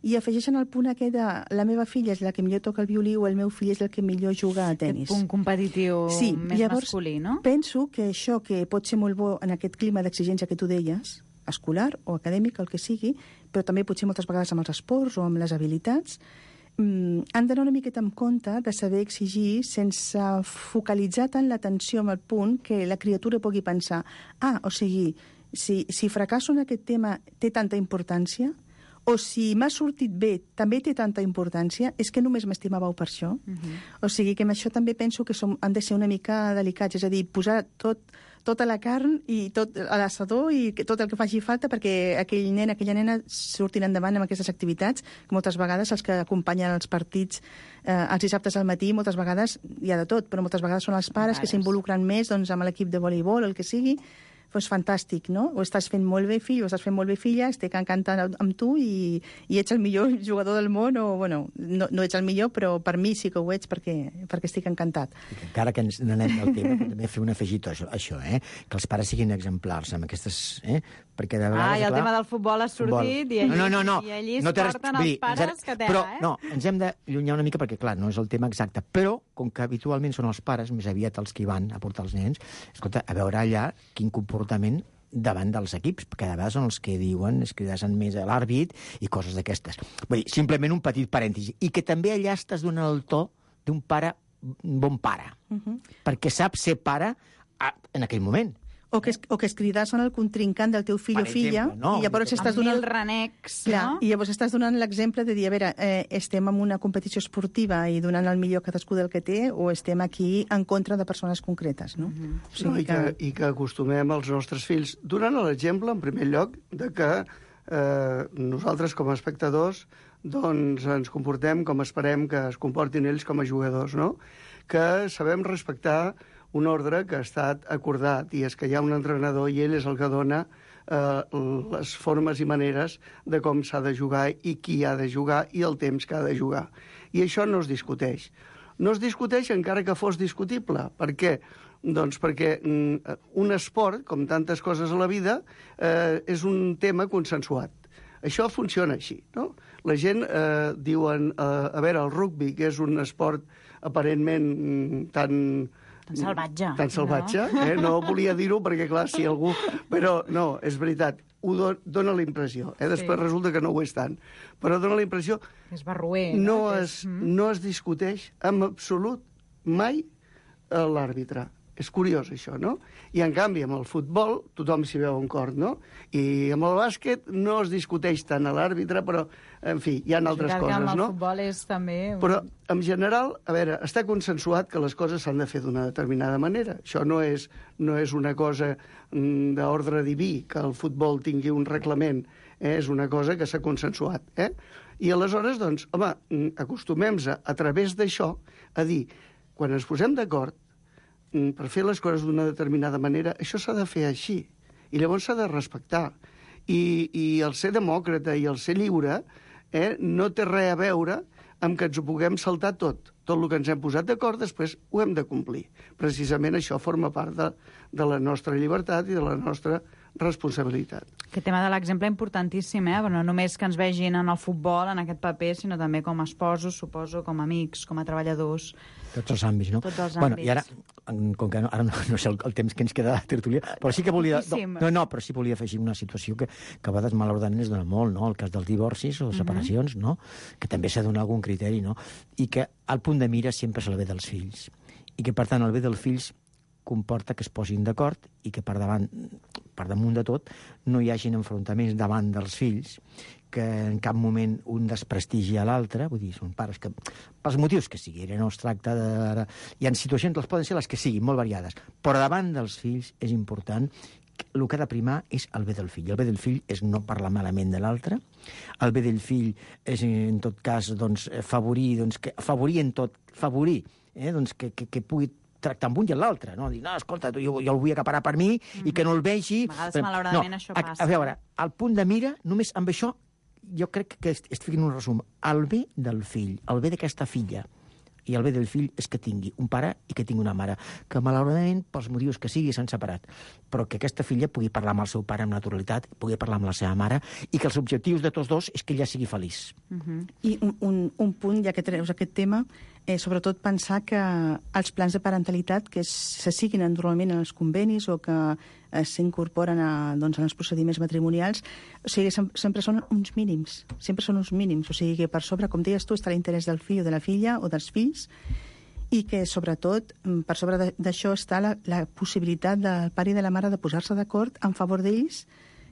i afegeixen el punt aquest de la meva filla és la que millor toca el violí o el meu fill és el que millor juga a tennis. Aquest punt competitiu més masculí, no? Penso que això que pot ser molt bo en aquest clima d'exigència que tu deies, escolar o acadèmic, el que sigui, però també potser moltes vegades amb els esports o amb les habilitats, han d'anar una miqueta en compte de saber exigir sense focalitzar tant l'atenció en el punt que la criatura pugui pensar o sigui, si fracasso en aquest tema té tanta importància, o si m'ha sortit bé, també té tanta importància, és que només m'estimàveu per això. O sigui que amb això també penso que han de ser una mica delicats, és a dir, posar tota la carn i tot a l'assador i tot el que faci falta perquè aquell nen, aquella nena surtin endavant amb aquestes activitats, que moltes vegades els que acompanyen els partits els dissabtes al matí, moltes vegades hi ha de tot, però moltes vegades són els pares que s'involucren més amb l'equip de voleibol, el que sigui. Doncs fantàstic, no? Ho estàs fent molt bé, fill, o estàs fent molt bé, filla, estic encantant amb tu i ets el millor jugador del món, o, bueno, no ets el millor, però per mi sí que ho ets perquè estic encantat. Encara que ens n'anem del tema, també fer un afegit a això, que els pares siguin exemplars amb aquestes... perquè de vegades, i el tema del futbol ha sortit i allí es porten els pares que tela, però, no, ens hem d'allunyar una mica perquè, clar, no és el tema exacte, però, com que habitualment són els pares, més aviat els que hi van a portar els nens, escolta, a veure allà quin comportament davant dels equips, perquè de vegades són els que diuen, es cridassen més a l'àrbit i coses d'aquestes. Vull dir, simplement un petit parèntesi. I que també allà estàs donant el to d'un pare, bon pare, perquè sap ser pare en aquell moment. O que es cridassen el contrincant del teu fill o filla, i llavors estàs donant... Amb 1000 renecs, no? I llavors estàs donant l'exemple de dir, a veure, estem en una competició esportiva i donant el millor cadascú del que té, o estem aquí en contra de persones concretes, no? O sigui I que acostumem els nostres fills, donant l'exemple, en primer lloc, de que nosaltres, com a espectadors, doncs ens comportem com esperem que es comportin ells com a jugadors, no? Que sabem respectar un ordre que ha estat acordat, i és que hi ha un entrenador i ell és el que dona les formes i maneres de com s'ha de jugar i qui ha de jugar i el temps que ha de jugar. I això no es discuteix. No es discuteix encara que fos discutible. Per què? Doncs perquè un esport, com tantes coses a la vida, és un tema consensuat. Això funciona així, no? La gent diuen, a veure, el rugbi, que és un esport aparentment tan salvatge. Tan salvatge, no volia dir-ho perquè, clar, si algú... Però no, és veritat, dona la impressió. Després resulta que no ho és tant. Però dona la impressió... És barroer. No es discuteix en absolut mai l'àrbitre. És curiós, això, no? I, en canvi, amb el futbol tothom s'hi veu en cort, no? I amb el bàsquet no es discuteix tant a l'àrbitre, però, en fi, hi ha altres coses, no? Amb el futbol és també... Però, en general, a veure, està consensuat que les coses s'han de fer d'una determinada manera. Això no és una cosa d'ordre diví, que el futbol tingui un reglament. És una cosa que s'ha consensuat, I aleshores, doncs, home, acostumem-se a través d'això a dir, quan ens posem d'acord, per fer les coses d'una determinada manera, això s'ha de fer així. I llavors s'ha de respectar. I el ser demòcrata i el ser lliure no té res a veure amb que ens ho puguem saltar tot. Tot el que ens hem posat d'acord, després ho hem de complir. Precisament això forma part de la nostra llibertat i de la nostra responsabilitat. Aquest tema de l'exemple importantíssim, però no només que ens vegin en el futbol, en aquest paper, sinó també com a esposos, suposo, com a amics, com a treballadors. Tots els àmbits, no? Tots els àmbits. I ara, com que ara no sé el temps que ens queda de tertúlia, però sí que volia... però sí volia afegir una situació que a vegades malauradament es dona molt, no? El cas dels divorcis o separacions, no? Que també s'ha de donar algun criteri, no? I que el punt de mira sempre és el bé dels fills. I que, per tant, el bé dels fills comporta que es posin d'acord i que per damunt de tot no hi hagin enfrontaments davant dels fills, que en cap moment un desprestigi a l'altre, vull dir, són pares que, pels motius que siguin, no es tracta de... Hi ha situacions, les poden ser les que siguin, molt variades, però davant dels fills és important el que ha de primar és el bé del fill. El bé del fill és no parlar malament de l'altre. El bé del fill és, en tot cas, doncs, favorir que pugui tractar amb un i amb l'altre, no? Dir, no, escolta, jo el vull acaparar per mi i que no el vegi... A vegades, malauradament, això passa. A veure, el punt de mira, només amb això, jo crec que estic fent un resum. El bé del fill, el bé d'aquesta filla, i el bé del fill és que tingui un pare i que tingui una mare, que malauradament, pels motius que sigui, s'han separat, però que aquesta filla pugui parlar amb el seu pare amb naturalitat, pugui parlar amb la seva mare, i que els objectius de tots dos és que ella sigui feliç. I un punt, ja que treus aquest tema, sobretot pensar que els plans de parentalitat que se siguin normalment en els convenis o que s'incorporen en els procediments matrimonials, o sigui, sempre són uns mínims, o sigui que per sobre, com deies tu, està l'interès del fill o de la filla o dels fills, i que sobretot per sobre d'això està la possibilitat del pare i de la mare de posar-se d'acord en favor d'ells,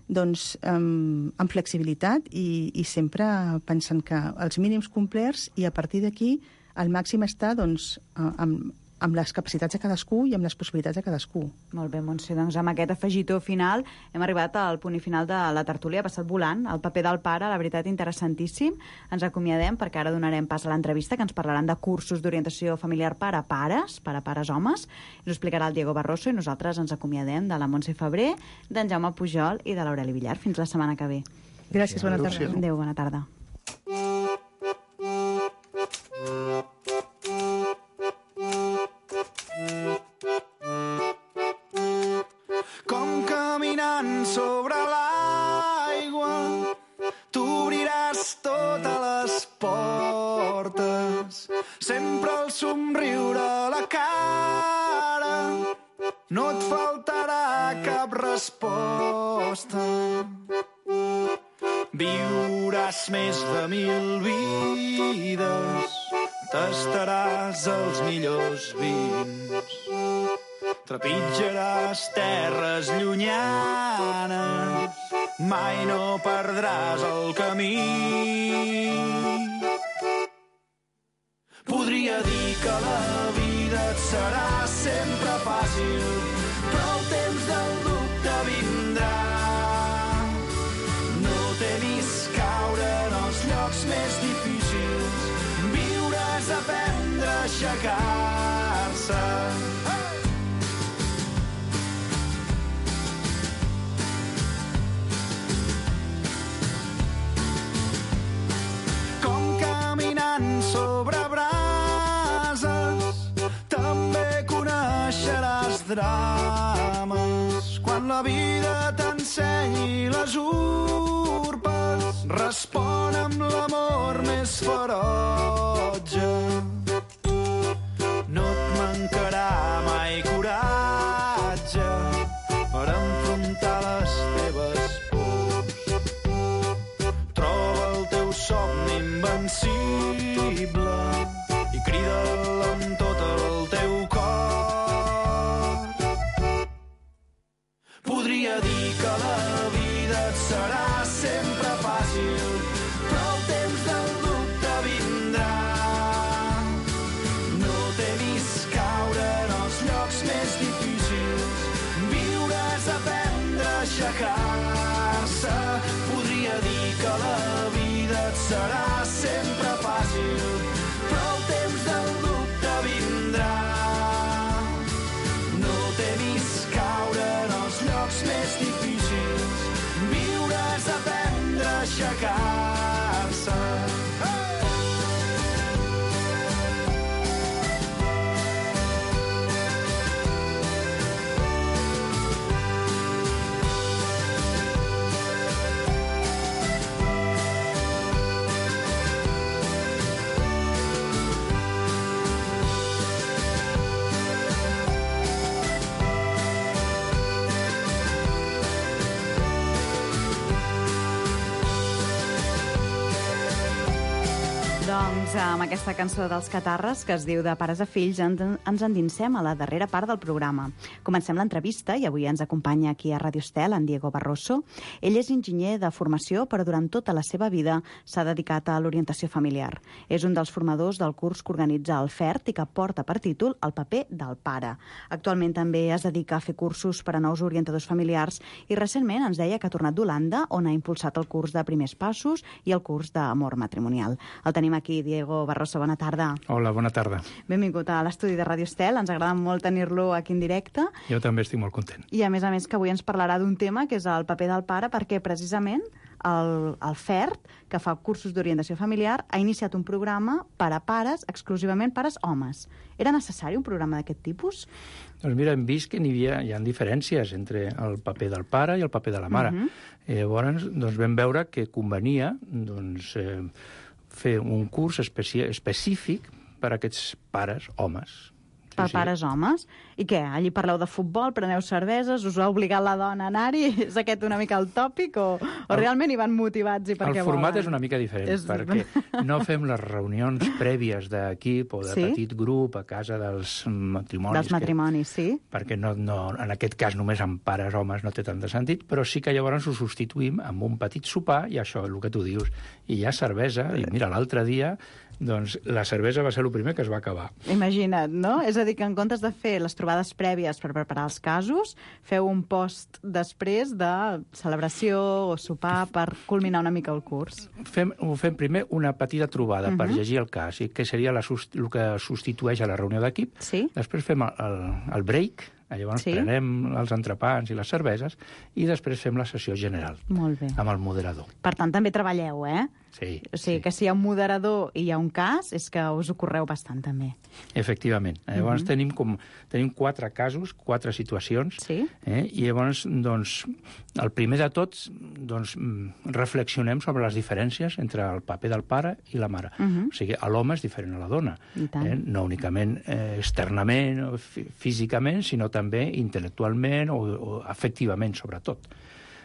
doncs amb flexibilitat i sempre pensant que els mínims complerts i a partir d'aquí el màxim està doncs, amb les capacitats de cadascú i amb les possibilitats de cadascú. Molt bé, Montse, doncs amb aquest afegitó final hem arribat al punt i final de la tertúlia, ha passat volant, el paper del pare, la veritat, interessantíssim. Ens acomiadem perquè ara donarem pas a l'entrevista que ens parlaran de cursos d'orientació familiar per a pares homes, ens ho explicarà el Diego Barroso i nosaltres ens acomiadem de la Montse Febrer, d'en Jaume Pujol i de l'Aureli Villar. Fins la setmana que ve. Gràcies, bona tarda. Adéu, bona tarda. Com caminant sobre l'aigua, t'obriràs totes les portes, sempre el somriure a la cara, no et faltarà cap resposta. Viuràs més de 1000 vides, tastaràs els millors vins, trepitjaràs terres llunyanes, mai no perdràs el camí. Podria dir que la vida et serà sempre fàcil, però el temps del dubte vindrà. No temis caure en els llocs més difícils, viuràs a aprendre a aixecar-se. Com caminant sobre brases, també coneixeràs drames. Quan la vida t'ensenyi les urpes, respon amb l'amor més ferotge. No et mancarà mai coratge per enfrontar les teves pors. Troba el teu somni invencible i crida'l amb tot el teu cor. Podria dir que la vida et serà sempre fàcil, però el temps del dubte vindrà. No temis caure en els llocs més difícils, viuràs a aprendre a aixecar-se. Podria dir que la vida et serà sempre fàcil, però el temps del dubte vindrà. No temis caure en els llocs més difícils, viuràs a aprendre a aixecar-se. Doncs amb aquesta cançó dels Catarres, que es diu De pares a fills, ens endinsem a la darrera part del programa. Comencem l'entrevista i avui ens acompanya aquí a Radio Estel en Diego Barroso. Ell és enginyer de formació, però durant tota la seva vida s'ha dedicat a l'orientació familiar. És un dels formadors del curs que organitza el FERT i que porta per títol El paper del pare. Actualment també es dedica a fer cursos per a nous orientadors familiars i recentment ens deia que ha tornat d'Holanda, on ha impulsat el curs de primers passos i el curs d'amor matrimonial. El tenim aquí, Diego Barroso, bona tarda. Hola, bona tarda. Benvingut a l'estudi de Radio Estel, ens agrada molt tenir-lo aquí en directe. Jo també estic molt content. I a més que avui ens parlarà d'un tema que és el paper del pare, perquè precisament el FERT, que fa cursos d'orientació familiar, ha iniciat un programa per a pares, exclusivament pares homes. Era necessari un programa d'aquest tipus? Doncs mira, hem vist que hi ha diferències entre el paper del pare i el paper de la mare. Llavors, doncs, vam veure que convenia fer un curs específic per a aquests pares homes. Per pares homes? I què? Allí parleu de futbol, preneu cerveses, us ha obligat la dona a anar-hi? És aquest una mica el tòpic o realment hi van motivats i perquè volen? El format és una mica diferent, perquè no fem les reunions prèvies d'equip o de petit grup a casa dels matrimonis. Dels matrimonis, sí. Perquè en aquest cas només amb pares homes no té tant de sentit, però sí que llavors ho substituïm amb un petit sopar i això, el que tu dius. I hi ha cervesa, i mira, l'altre dia doncs la cervesa va ser el primer que es va acabar. Imagina't, no? És a dir, que en comptes de fer les trobades prèvies per preparar els casos, feu un post després de celebració o sopar per culminar una mica el curs. Ho fem primer una petita trobada per llegir el cas, que seria el que substitueix a la reunió d'equip. Sí. Després fem el break, llavors prenem els entrepans i les cerveses i després fem la sessió general. Molt bé. Amb el moderador. Per tant, també treballeu, eh? Sí. O sigui, que si hi ha un moderador i hi ha un cas, és que us ho correu bastant, també. Efectivament. Llavors tenim 4 casos, 4 situacions, i llavors, doncs, el primer de tots, doncs, reflexionem sobre les diferències entre el paper del pare i la mare. O sigui, l'home és diferent a la dona. No únicament externament o físicament, sinó també intel·lectualment o afectivament, sobretot.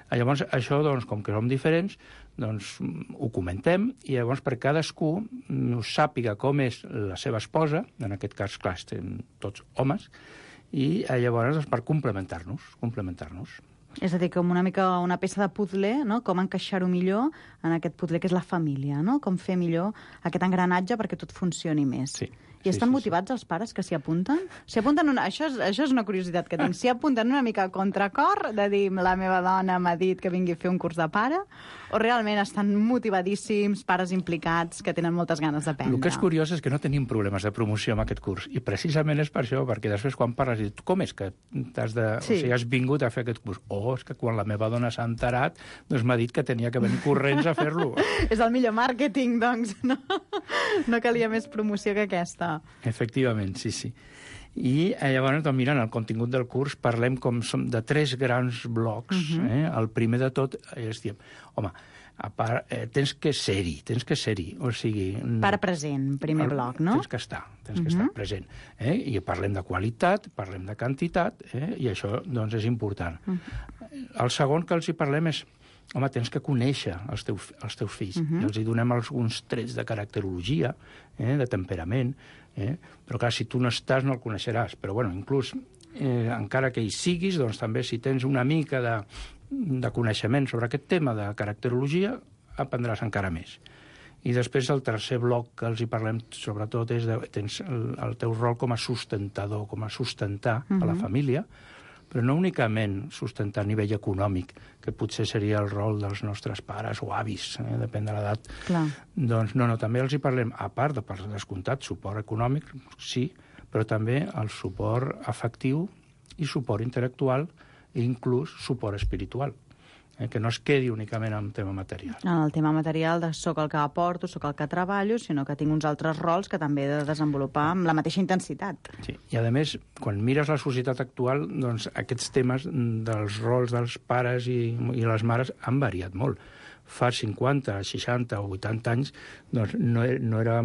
Llavors, això, doncs, com que som diferents, doncs ho comentem i llavors per cadascú sàpiga com és la seva esposa, en aquest cas, clar, estem tots homes, i llavors per complementar-nos. És a dir, com una mica una peça de puzzle, no? Com encaixar-ho millor en aquest puzzle que és la família, no? Com fer millor aquest engranatge perquè tot funcioni més. Sí. I estan motivats els pares que s'hi apunten? Això és una curiositat que tinc. S'hi apunten una mica a contracor, de dir la meva dona m'ha dit que vingui a fer un curs de pare, o realment estan motivadíssims, pares implicats, que tenen moltes ganes d'aprendre? El que és curiós és que no tenim problemes de promoció amb aquest curs, i precisament és per això, perquè després quan parles dius, com és que has vingut a fer aquest curs? És que quan la meva dona s'ha enterat, doncs m'ha dit que tenia que venir corrents a fer-lo. És el millor màrqueting, doncs, no? No calia més promoció que aquesta. Efectivament, sí. I llavors, doncs, mirant el contingut del curs, parlem de 3 grans blocs. El primer de tot és dir, home, a part, tens que ser-hi, o sigui... Pare present, primer bloc, no? Tens que estar present. I parlem de qualitat, parlem de quantitat, i això, doncs, és important. El segon que els hi parlem és, home, tens que conèixer els teus fills. I els hi donem alguns trets de caracterologia, de temperament, però clar, si tu no estàs no el coneixeràs. Però bueno, inclús, encara que hi siguis, doncs també si tens una mica de coneixement sobre aquest tema de caracterologia, aprendràs encara més. I després el tercer bloc que els hi parlem sobretot és tens el teu rol com a sustentador, com a sustentar a la família, però no únicament sustentar a nivell econòmic, que potser seria el rol dels nostres pares o avis, depèn de l'edat. Doncs no, també els hi parlem, a part de, per descomptat, suport econòmic, sí, però també el suport afectiu i suport intel·lectual i inclús suport espiritual. Que no es quedi únicament en tema material. En el tema material de soc el que aporto, soc el que treballo, sinó que tinc uns altres rols que també he de desenvolupar amb la mateixa intensitat. Sí, i a més, quan mires la societat actual, doncs aquests temes dels rols dels pares i les mares han variat molt. Fa 50, 60 o 80 anys doncs no era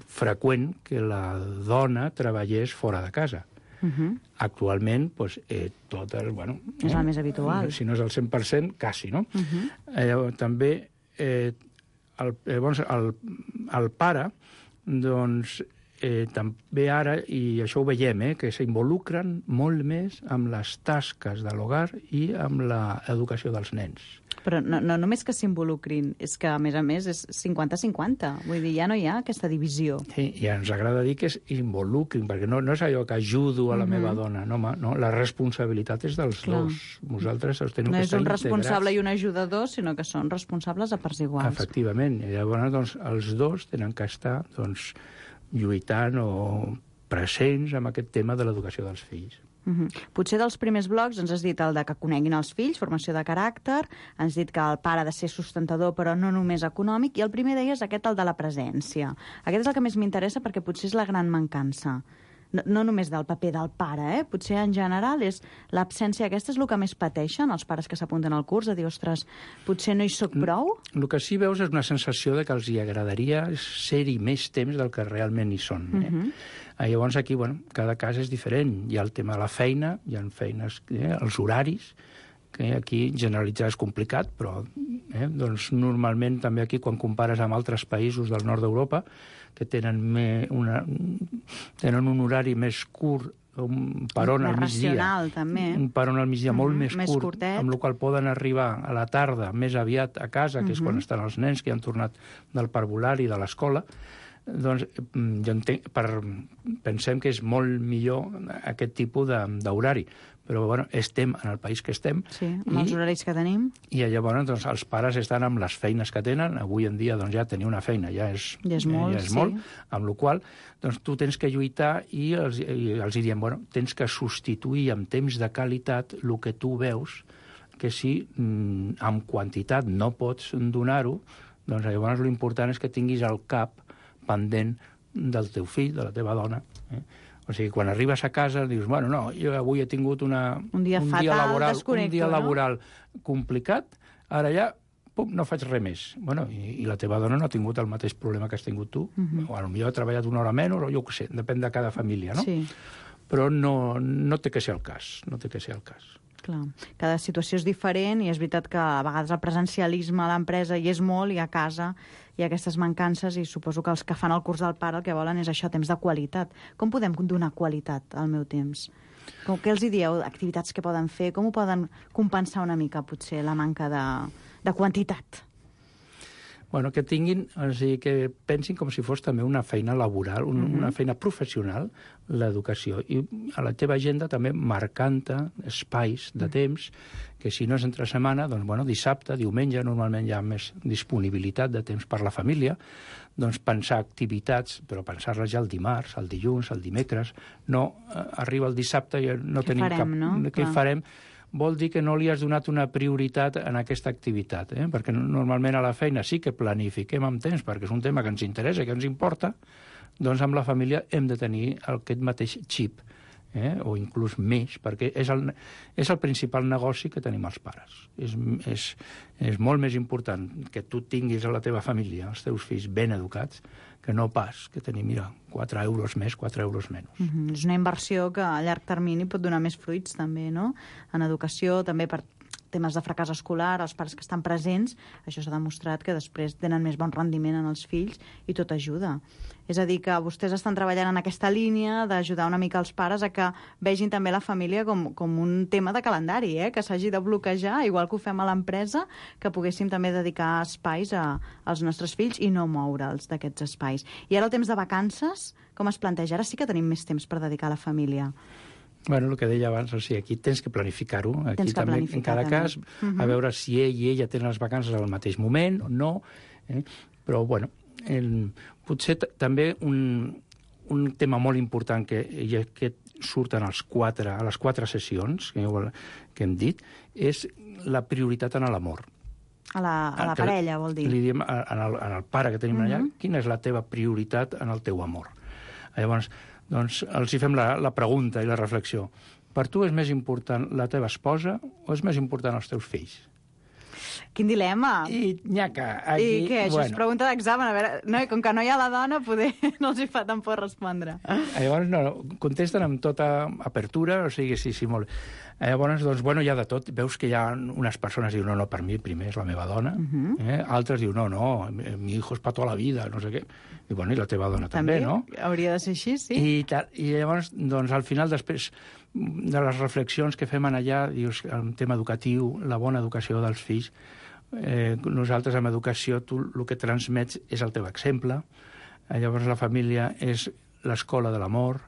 freqüent que la dona treballés fora de casa. Actualment, doncs, tot és, bueno... És el més habitual. Si no és el 100%, quasi, no? També el pare, doncs, també ara, i això ho veiem, que s'involucren molt més amb les tasques de l'hogar i amb l'educació dels nens. Però no només que s'involucrin, és que, a més, és 50-50. Vull dir, ja no hi ha aquesta divisió. Sí, i ens agrada dir que s'involucrin, perquè no és allò que ajudo a la meva dona, no, la responsabilitat és dels dos. Vosaltres us teniu que estar integrats. No és un responsable i un ajudador, sinó que són responsables a parts iguals. Efectivament. I llavors, doncs, els dos tenen que estar, doncs, lluitant o presents amb aquest tema de l'educació dels fills. Potser dels primers blocs ens has dit el de que coneguin els fills, formació de caràcter, ens has dit que el pare ha de ser sustentador però no només econòmic, i el primer deies aquest, el de la presència. Aquest és el que més m'interessa perquè potser és la gran mancança. No només del paper del pare, potser en general és l'absència aquesta és el que més pateixen els pares que s'apunten al curs, de dir, ostres, potser no hi soc prou? El que sí veus és una sensació de que els hi agradaria ser-hi més temps del que realment hi són. Llavors aquí, cada cas és diferent. Hi ha el tema de la feina, hi ha feines, els horaris, que aquí generalitzar és complicat, però doncs normalment també aquí quan compares amb altres països del nord d'Europa que tenen un horari més curt, un peron al migdia, un peron al migdia molt més curt, amb el qual poden arribar a la tarda més aviat a casa, que és quan estan els nens que han tornat del parvulari i de l'escola, doncs jo entenc, pensem que és molt millor aquest tipus d'horari. Però estem en el país que estem. Sí, amb els horaris que tenim. I llavors doncs, els pares estan amb les feines que tenen. Avui en dia doncs, ja tenir una feina ja és molt, amb la qual doncs, tu tens que lluitar i els diem, tens que substituir amb temps de qualitat el que tu veus, que si amb quantitat no pots donar-ho, doncs llavors l'important és que tinguis el cap pendent del teu fill, de la teva dona. O sigui, quan arribes a casa dius, jo avui he tingut un dia laboral complicat, ara ja no faig res més. I la teva dona no ha tingut el mateix problema que has tingut tu, o potser ha treballat una hora menys, o jo què sé, depèn de cada família, no? Sí. Però no té que ser el cas, Clar, cada situació és diferent i és veritat que a vegades el presencialisme a l'empresa hi és molt i a casa hi ha aquestes mancances i suposo que els que fan el curs del pare el que volen és això, temps de qualitat. Com podem donar qualitat al meu temps? Què els dieu? Activitats que poden fer? Com ho poden compensar una mica, potser, la manca de quantitat? Que tinguin, o sigui, que pensin com si fos també una feina laboral, una feina professional, l'educació. I a la teva agenda també marcant-te espais de temps, que si no és entre setmana, doncs, dissabte, diumenge, normalment hi ha més disponibilitat de temps per la família, doncs pensar activitats, però pensar-les ja el dimarts, el dilluns, el dimecres, no arriba el dissabte i no tenim cap... Què farem? Vol dir que no li has donat una prioritat en aquesta activitat, perquè normalment a la feina sí que planifiquem amb temps, perquè és un tema que ens interessa, que ens importa, doncs amb la família hem de tenir aquest mateix xip, o inclús més, perquè és el principal negoci que tenim els pares. És molt més important que tu tinguis a la teva família, els teus fills ben educats, que no pas que tenir, 4 euros més, 4 euros menys. És una inversió que a llarg termini pot donar més fruits, també, no? En educació, també per temes de fracàs escolar, els pares que estan presents, això s'ha demostrat que després tenen més bon rendiment en els fills i tot ajuda. És a dir, que vostès estan treballant en aquesta línia d'ajudar una mica els pares a que vegin també la família com un tema de calendari, que s'hagi de bloquejar, igual que ho fem a l'empresa, que poguéssim també dedicar espais als nostres fills i no moure'ls d'aquests espais. I ara el temps de vacances, com es planteja? Ara sí que tenim més temps per dedicar a la família. El que deia abans, o sigui, aquí tens que planificar-ho. Aquí també, en cada cas, a veure si ell i ella tenen les vacances al mateix moment o no. Però, potser també un tema molt important que surten a les 4 sessions que hem dit, és la prioritat en l'amor. A la parella, vol dir. Li diem al pare que tenim allà, quina és la teva prioritat en el teu amor. Llavors, doncs els hi fem la pregunta i la reflexió. Per tu és més important la teva esposa o és més important els teus fills? Quin dilema! I nyaca, aquí... I què? Això és pregunta d'examen. A veure, com que no hi ha la dona, poder no els hi fa tan por respondre. Llavors, contesten amb tota apertura, o sigui, sí, molt... Llavors, doncs, bueno, hi ha de tot. Veus que hi ha unes persones que diuen, no, per mi primer és la meva dona. Altres diuen, no, mi hijo és per tota la vida, no sé què. I, bueno, i la teva dona també, no? Hauria de ser així, sí. I llavors, doncs, al final, després de les reflexions que fem allà, dius, el tema educatiu, la bona educació dels fills, nosaltres amb educació, tu el que transmets és el teu exemple, llavors la família és l'escola de l'amor.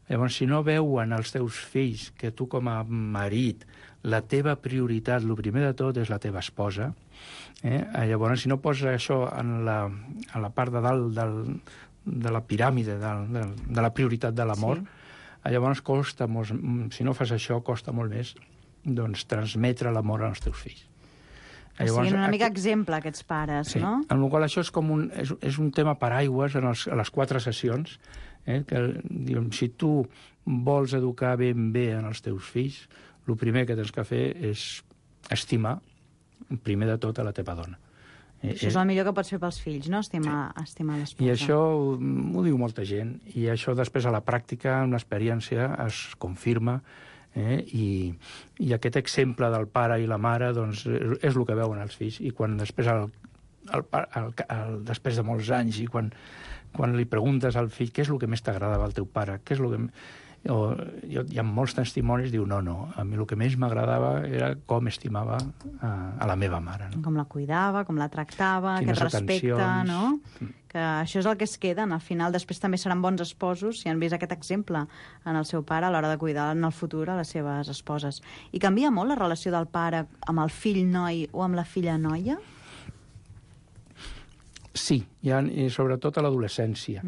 Llavors, si no veuen els teus fills que tu com a marit, la teva prioritat, el primer de tot és la teva esposa, llavors si no poses això a la part de dalt de la piràmide, de la prioritat de l'amor, llavors costa molt, si no fas això, costa molt més doncs, transmetre l'amor als teus fills. Que siguin una mica exemple, aquests pares, no? Amb la qual això és un tema paraigües a les 4 sessions, que diguem, si tu vols educar ben bé en els teus fills, el primer que tens que fer és estimar, primer de tot, a la teva dona. Això és el millor que pots fer pels fills, no? Estimar l'esposa. I això ho diu molta gent, i això després a la pràctica, amb l'experiència, es confirma, i aquest exemple del pare i la mare doncs, és el que veuen els fills, i quan després, després de molts anys, i quan li preguntes al fill què és el que més t'agradava al teu pare, què és el que... hi ha molts testimonis, diu, no, a mi el que més m'agradava era com estimava a la meva mare. No? Com la cuidava, com la tractava, aquest respecte, no? Que això és el que es queda. Al final, després també seran bons esposos si han vist aquest exemple en el seu pare a l'hora de cuidar en el futur a les seves esposes. I canvia molt la relació del pare amb el fill noi o amb la filla noia? Sí, i sobretot a l'adolescència.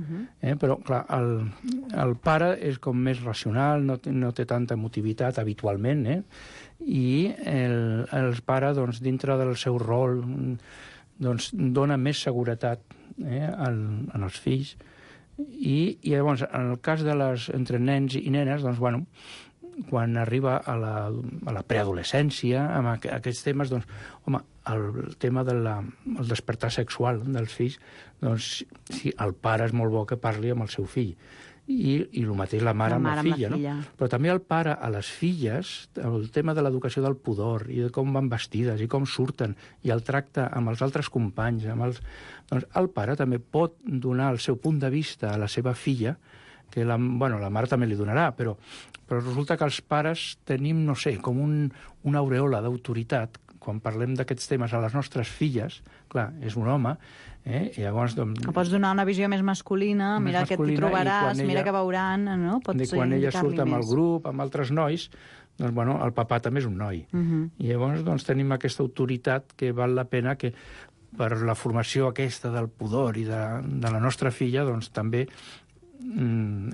Però, clar, el pare és com més racional, no té tanta emotivitat habitualment, i el pare, doncs, dintre del seu rol, doncs, dona més seguretat en els fills. I llavors, en el cas entre nens i nenes, doncs, bueno, quan arriba a la preadolescència, amb aquests temes, doncs, home, el tema del despertar sexual dels fills, doncs, sí, el pare és molt bo que parli amb el seu fill. I el mateix la mare amb la filla, no? Però també el pare a les filles, el tema de l'educació del pudor, i de com van vestides, i com surten, i el tracte amb els altres companys, doncs el pare també pot donar el seu punt de vista a la seva filla, que la mare també li donarà, però resulta que els pares tenim, no sé, com una aureola d'autoritat quan parlem d'aquests temes a les nostres filles. Clar, és un home, i llavors... Pots donar una visió més masculina, mira què t'hi trobaràs, mira què veuran, no? Quan ella surt amb el grup, amb altres nois, doncs, bueno, el papà també és un noi. I llavors, doncs, tenim aquesta autoritat que val la pena que per la formació aquesta del pudor i de la nostra filla, doncs, també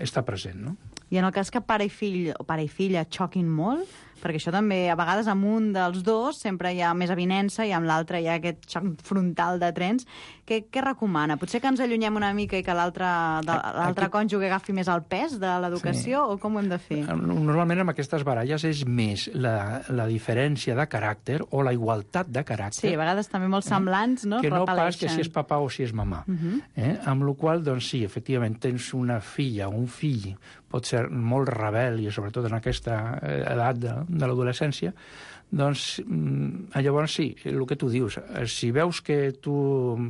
està present, no? I en el cas que pare i fill o pare i filla xoquin molt, perquè això també, a vegades amb un dels dos sempre hi ha més avinença i amb l'altre hi ha aquest xoc frontal de trens, què recomana? Potser que ens allunyem una mica i que l'altre cònjuge agafi més el pes de l'educació, o com ho hem de fer? Normalment amb aquestes baralles és més la diferència de caràcter o la igualtat de caràcter. Sí, a vegades també molt semblants, no? Que no pas que si és papà o si és mamà. Amb la qual cosa, doncs sí, efectivament, tens una filla o un fill, pot ser molt rebel, i sobretot en aquesta edat de l'adolescència, doncs llavors sí, el que tu dius, si veus que tu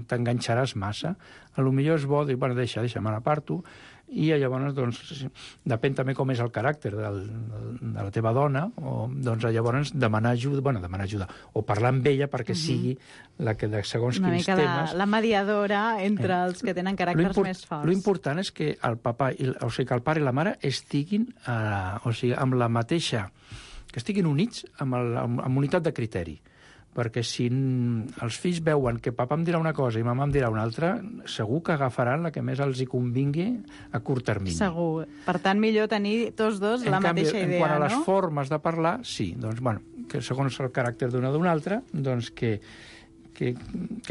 t'enganxaràs massa, potser és bo dir, bueno, deixa, me n'aparto, i llavors, doncs, depèn també com és el caràcter de la teva dona, o doncs llavors demanar ajuda, o parlar amb ella perquè sigui la que de segons quins temes... Una mica la mediadora entre els que tenen caràcters més forts. L'important és que el pare i la mare estiguin amb la mateixa... que estiguin units amb unitat de criteri. Perquè si els fills veuen que papà em dirà una cosa i mamà em dirà una altra, segur que agafaran la que més els hi convingui a curt termini. Segur. Per tant, millor tenir tots dos la mateixa idea, no? En quant a les formes de parlar, sí. Doncs, bueno, que segons el caràcter d'una o d'una altra, doncs que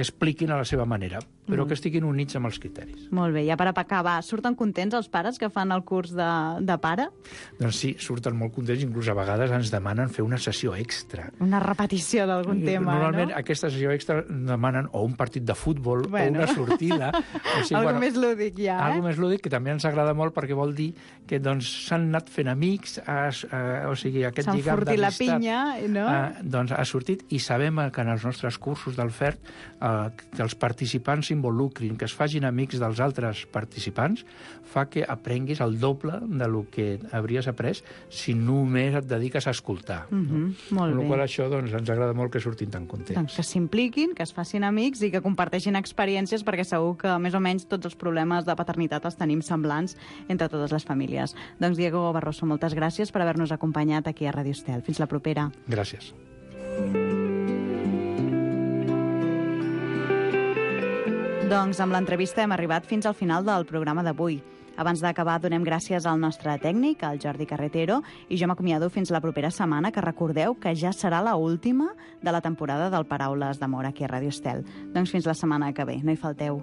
expliquin a la seva manera. però que estiguin units amb els criteris. Molt bé, ja per acabar, surten contents els pares que fan el curs de pare? Doncs sí, surten molt contents, inclús a vegades ens demanen fer una sessió extra. Una repetició d'algun tema, Normalment, no? aquesta sessió extra demanen o un partit de futbol o una sortida. O sigui, algo més lúdic ja, Algo més lúdic, que també ens agrada molt perquè vol dir que doncs, s'han anat fent amics, o sigui, aquest lligam d'amistat... S'han fortit la pinya, no? Doncs ha sortit, i sabem que en els nostres cursos del FERT que els participants s'involucrin, que es facin amics dels altres participants, fa que aprenguis el doble del que hauries après si només et dediques a escoltar. Molt bé. Amb la qual això doncs, ens agrada molt que surtin tan contents. Doncs que s'impliquin, que es facin amics i que comparteixin experiències, perquè segur que més o menys tots els problemes de paternitat els tenim semblants entre totes les famílies. Doncs Diego Barroso, moltes gràcies per haver-nos acompanyat aquí a Radio Estel. Fins la propera. Gràcies. Doncs amb l'entrevista hem arribat fins al final del programa d'avui. Abans d'acabar, donem gràcies al nostre tècnic, al Jordi Carretero, i jo m'acomiado fins la propera setmana, que recordeu que ja serà la última de la temporada del Paraules d'Amor aquí a Radio Estel. Doncs fins la setmana que ve, no hi falteu.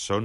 Són